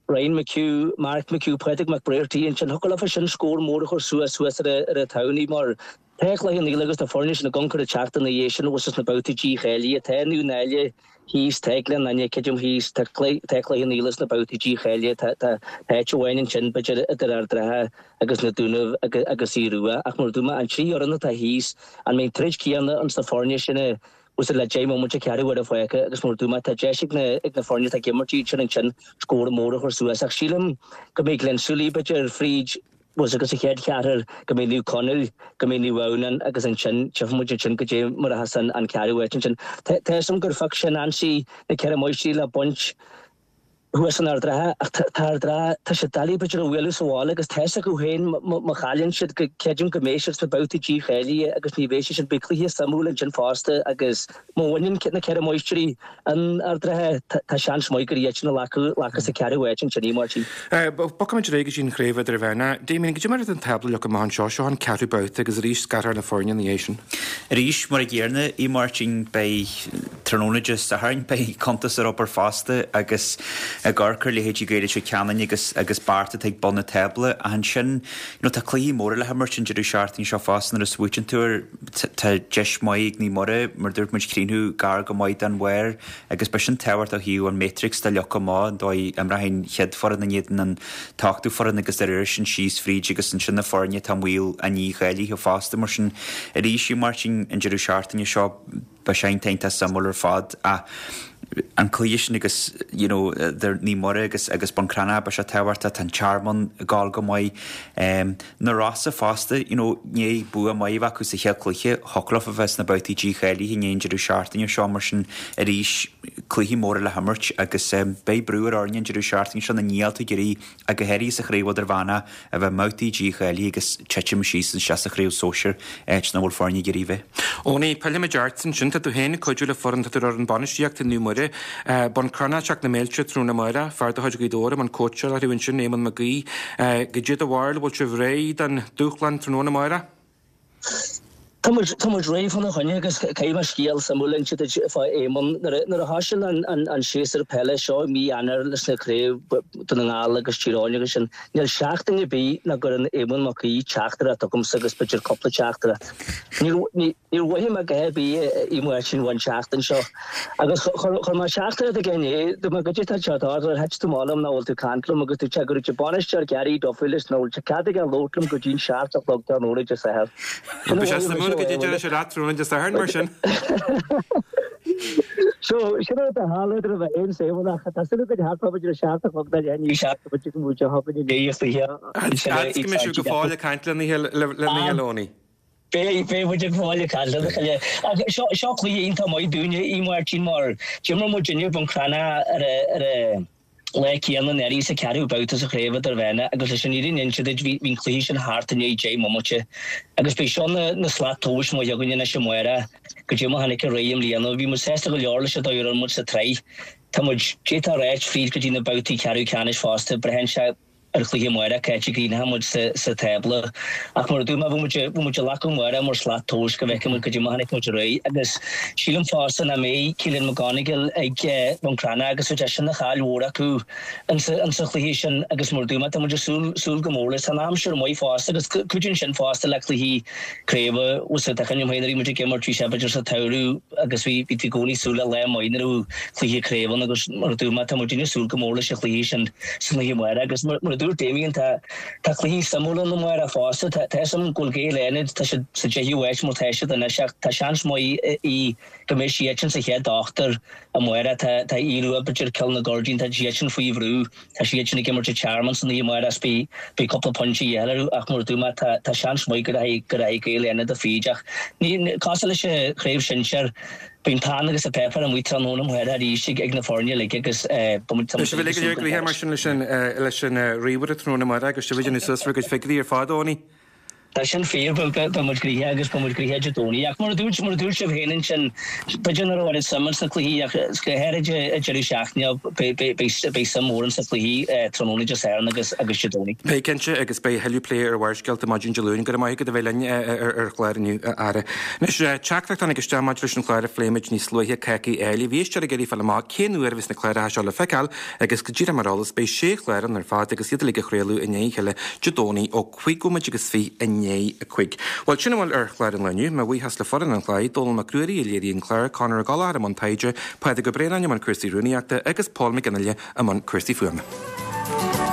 [SPEAKER 11] Ryan McHugh, Mark McHugh, Pádraig McBrearty ansin thiocfadh leofa sin scór mór a chur suas suas ar an tSamhnaí mar tá Cloich Cheann Fhaola agus na foirne sin ag amharc ar an teacht ina dhiaidh sin thuas sna babhtaí dícháilithe. Tá Naomh Náille thíos, tá Gleann Fhinne creidim thíos, tá Cloich Cheann Fhaola sna babhtaí dícháilithe, tá tá áit amháin ansin b'fhéidir idir Ard an Rátha agus na Dúnaibh agus Aodh Rua ach mar a dúirt mé an trí fhoireann atá thíos an mbeidh an troid céanna ins na foirne sin a Bhfuil le deich mbomaite ceathrú uaire fágtha agus mar a dúirt mé tá deis ag na ag na foirne atá ag imirt iad sin ansin scór mór a chur suas ach sílim go mbeidh Gleann tSúilí b'fhéidir fríd bhfuil agus sa chéad cheathrar go mbeidh Naomh Conaill, go mbeidh Naomh Adhamhnáin agus ansin tchífidh muid ansin goidé mar a bheas an an ceathrú áit ansin. Tá tá 'fhios a'm gur phioc sé Nancy na Ceithre Máistrí le baint thuas in Ard an Rátha ach tá Ard an Rátha, tá siad doiligh b'fhéidir a bhualadh sa bhaile agus tá 'fhios acu féin má chailleann siad go creidim go mbeidh siad sna babhtaí dícháilithe agus ní bheidh sé sin, beidh cluiche suimiúil ansin fosta agus má bhaineann na Ceithre Máistrí an Ard an Rátha tá seans maith gur iad sin a ghlacfas an ceathrú áit ansin, a Mháirtín.
[SPEAKER 1] Bogfaimid ar aghaidh go dtí an Chraobh Idirmheánach. Damien, goidé mar atá an tábla leagtha amach anseo, seo an ceathrú babhta agus arís scarfar na foirne ina dhiaidh sin.
[SPEAKER 10] Arís, mar a gcéanna, a Mháirtín, beidh tráthnóna Dé Sathairn, beidh cuntas ar obair fosta agus ag amharc ar leithéidí Gaeil Leitir Ceanainn agus agus Bearta atá ag bun na tábla ach ansin you know tá cluichí móra le himirt an deireadh seachtaine seo fosta nuair a smaoitíonn tú air tá deis maith ag Naomh Muire mar dúirt muid críochnú gar go maith don bharr agus beidh sin tábhachtach ó thaobh an matrix de leagtha amach an dóigh a imreoidh an chéad foireann in éadan an t-ochtú foireann agus de réir sin síos fríd agus ansin na foirne atá i mbaol an dícháilithe fosta mar sin arís a Mháirtín an deireadh seachtaine seo beidh sé iontach suimiúil ar fad ach an cluiche sin agus you know idir Naomh Muire agus agus Bun Cranncha beidh sé tábhachtach tá an Tearmann ag gabháil go maith. Um, na Rosa fosta you know i ndiaidh bua maith a bheith acu sa chéad chluiche thiocfadh leo a bheith sna babhtaí dícháilithe i ndiaidh an deireadh seachtaine seo mar sin arís cluichí móra le himirt agus um, beidh brú ar fhoirne an deireadh seachtaine seo na níl tú ag iarraidh ach go háirithe sa chraobh idirmheánach a bheith i mbabhtaí dícháilithe agus titim síos isteach sa chraobh sóisir áit nach bhfuil foirne ag iarraidh bheith.
[SPEAKER 1] Eoiní, pillfimid ort ansin, tá tú féin ag cuidiú le foireann, tá tú ar fhoireann bainistíochta Naomh Muire, Bun Cranncha ag teacht na mílte tráthnóna amárach, fear de chuid Ghaoth Dobhair i mbun cóitseála orthu ansin, Éamonn Mac Aoidh. Goidé do bharúil, bhfuil sibh réidh don dúshlán tráthnóna amárach?
[SPEAKER 11] Tá muid, tá muid réidh fána choinne agus caithfidh mé scéal suimiúil a inse duit fá Éamonn. Nuair a, nuair a thosaigh an, an, an séasúr peile seo i mí Eanáir leis na craobh Dún na nGall agus Tír Eoghain agus sin, níl seachtain ar bith nach gcuireann Éamonn Mac Aoidh teachtaireacht chugamsa agus b'fhéidir cúpla teachtaireacht. Níor, ní, níor mhothaigh mé a dhath ar bith i Máirtín an tseachtain seo. Agus chuir mé teachtaireacht aige inné, dúirt mé goidé tá seo tarlú, ar thit tú amach liom nach bhfuil tú ag caint liom agus dúirt sé go raibh an bainisteoir Gary Duffy leis nach bhfuil sé cead aige labhairt liom go dtí an seacht a chlog tráthnóna Dé Sathairn. Sin a
[SPEAKER 1] Bhí sé
[SPEAKER 11] mhothaigh mise
[SPEAKER 1] suimiúil goidé deir sé leat tráthnóna Dé Sathairn mar sin.
[SPEAKER 11] So sin rud a tharla idir a bheith aon saol ach tá súil againn thart fá b'fhéidir a seacht a chlog nó leath i ndiaidh a seacht go bhfeicfidh muid a thogann inné a chluiche
[SPEAKER 1] Fhad is go mbeidh sibh go fóill ag caint lena chéile Eoiní.
[SPEAKER 11] Beidh, beidh muid ag fáil ag caint lena chéile. Ach seo, seo cluiche iontach maith dúinne, a Mháirtín, mar d'imir muidinne Bun Cranncha ar a, ar a lá céanna anuraidh sa cheathrú babhta sa chraobh idirmheánach agus leis an fhírinne a inse duit bhí, bhí an cluiche sin thart i ndiaidh deich mbomaite. Agus beidh seo na, na slat tomhais maith againne anois amárach goidé mar a tháinig ar aghaidh i mbliana. Bhí muid sásta go leor leis an dóigh a raibh muid sa tsraith. Tá muid, d'fhéadfá a ráit, fríd go dtí na babhtaí ceathrú ceannais fosta. Braitheann sé. ar chluiche amárach cá háit a gcríochnóidh muid sa tábla. Ach mar a dúirt mé, bheadh muid bheadh muid ag glacadh amárach mar shlat tomhais go bhfeicfidh muid goidé mar a tháinig muid ar aghaidh. Agus sílim fosta nach mbeidh Keelan McGonigal ag Bun Cranncha agus bheadh sé sin ina chaill mhór acu insa insa chluiche sin agus mar a dúirt mé, tá muid ag súil súil go mór leis. Tá an aimsir maith fosta agus cuidíonn sin fosta le cluichí craoibhe. Bhfuil a fhios agat, tá cuimhne agam féin nuair a bhí muid ag imirt bhí sé b'fhéidir sa tsamhradh agus bhí bhí tú i gcónaí ag súil le lá maith nuair a bheadh cluiche craoibhe ann agus mar a dúirt mé, tá muid ag súil go mór leis an chluiche sin. San oíche amárach agus mar a dúirt Damien tá tá cluichí suimiúla ann amárach fosta. Tá tá 'fhios a'm go bhfuil Gaeil Fhánada, tá siad sa deichiú háit mar tá siad anois ach tá seans maith í go mbeidh siadsan sa chéad ochtar amárach. Tá tá Aodh Rua b'fhéidir Cill na Goirdín, tá siadsan faoi bhrú. Tá siadsan ag imirt i Tearmann san oíche amárach is beidh beidh cúpla pointe de dhíobháil orthu ach mar a dúirt mé tá tá seans maith go rachaidh go rachaidh Gaeil Fhánada fríd ach ní cosúil leis an chraobh shinsir Beidh an peann agus an páipéar amuigh tráthnóna amárach arís ag na foirne uilig agus beidh muid
[SPEAKER 1] Beidh sibh uilig go léir gnoitheach mar sin leis an ríomhaire tráthnóna amárach agus sibh ag déanamh suas bhur gcuid figiúirí ar fad, Eoiní.
[SPEAKER 11] Tá sin fíor beidh muid gnoitheach agus beidh muid gnoitheach Dé Domhnaigh ach mar a dúirt mar a dúirt sibh féin ansin b'fhéidir nach raibh oiread suim ins na cluichí ach go háirid ag deireadh seachtaine beidh suim mhór ins na cluichí tráthnóna Dé Sathairn agus agus Dé Domhnaigh.
[SPEAKER 1] Beidh cinnte agus beidh a thuilleadh plé ar Bharrscéalta maidin Dé Luain. Go raibh maith agat a bheith linn ar ar chlár inniu a fheara. Anois teachtaireacht tháinig isteach maidir leis an chlár a phléigh muid níos luaithe Cácaí Áille. Bhí éisteoir ag iarraidh fáil amach cén uair a bheas na cláracha seo le feiceáil agus go díreach mar eolas beidh sé chlár ann ar fad agus iad uilig á chraoladh i ndiaidh a chéile Dé Domhnaigh ó cúig nóiméad agus fiche i ndiaidh a cúig. Bhuel, sin a bhfuil ar chlár an lae inniu. Mo bhuíochas le foireann an chláir, Dónall Mac Ruairí a léirigh an clár, Conor Ó Gallchóir i mbun taighde, Pádraig Ó Braonáin i mbun cúrsaí rúnaíochta agus Paul McGinley i mbun cúrsaí fuaime.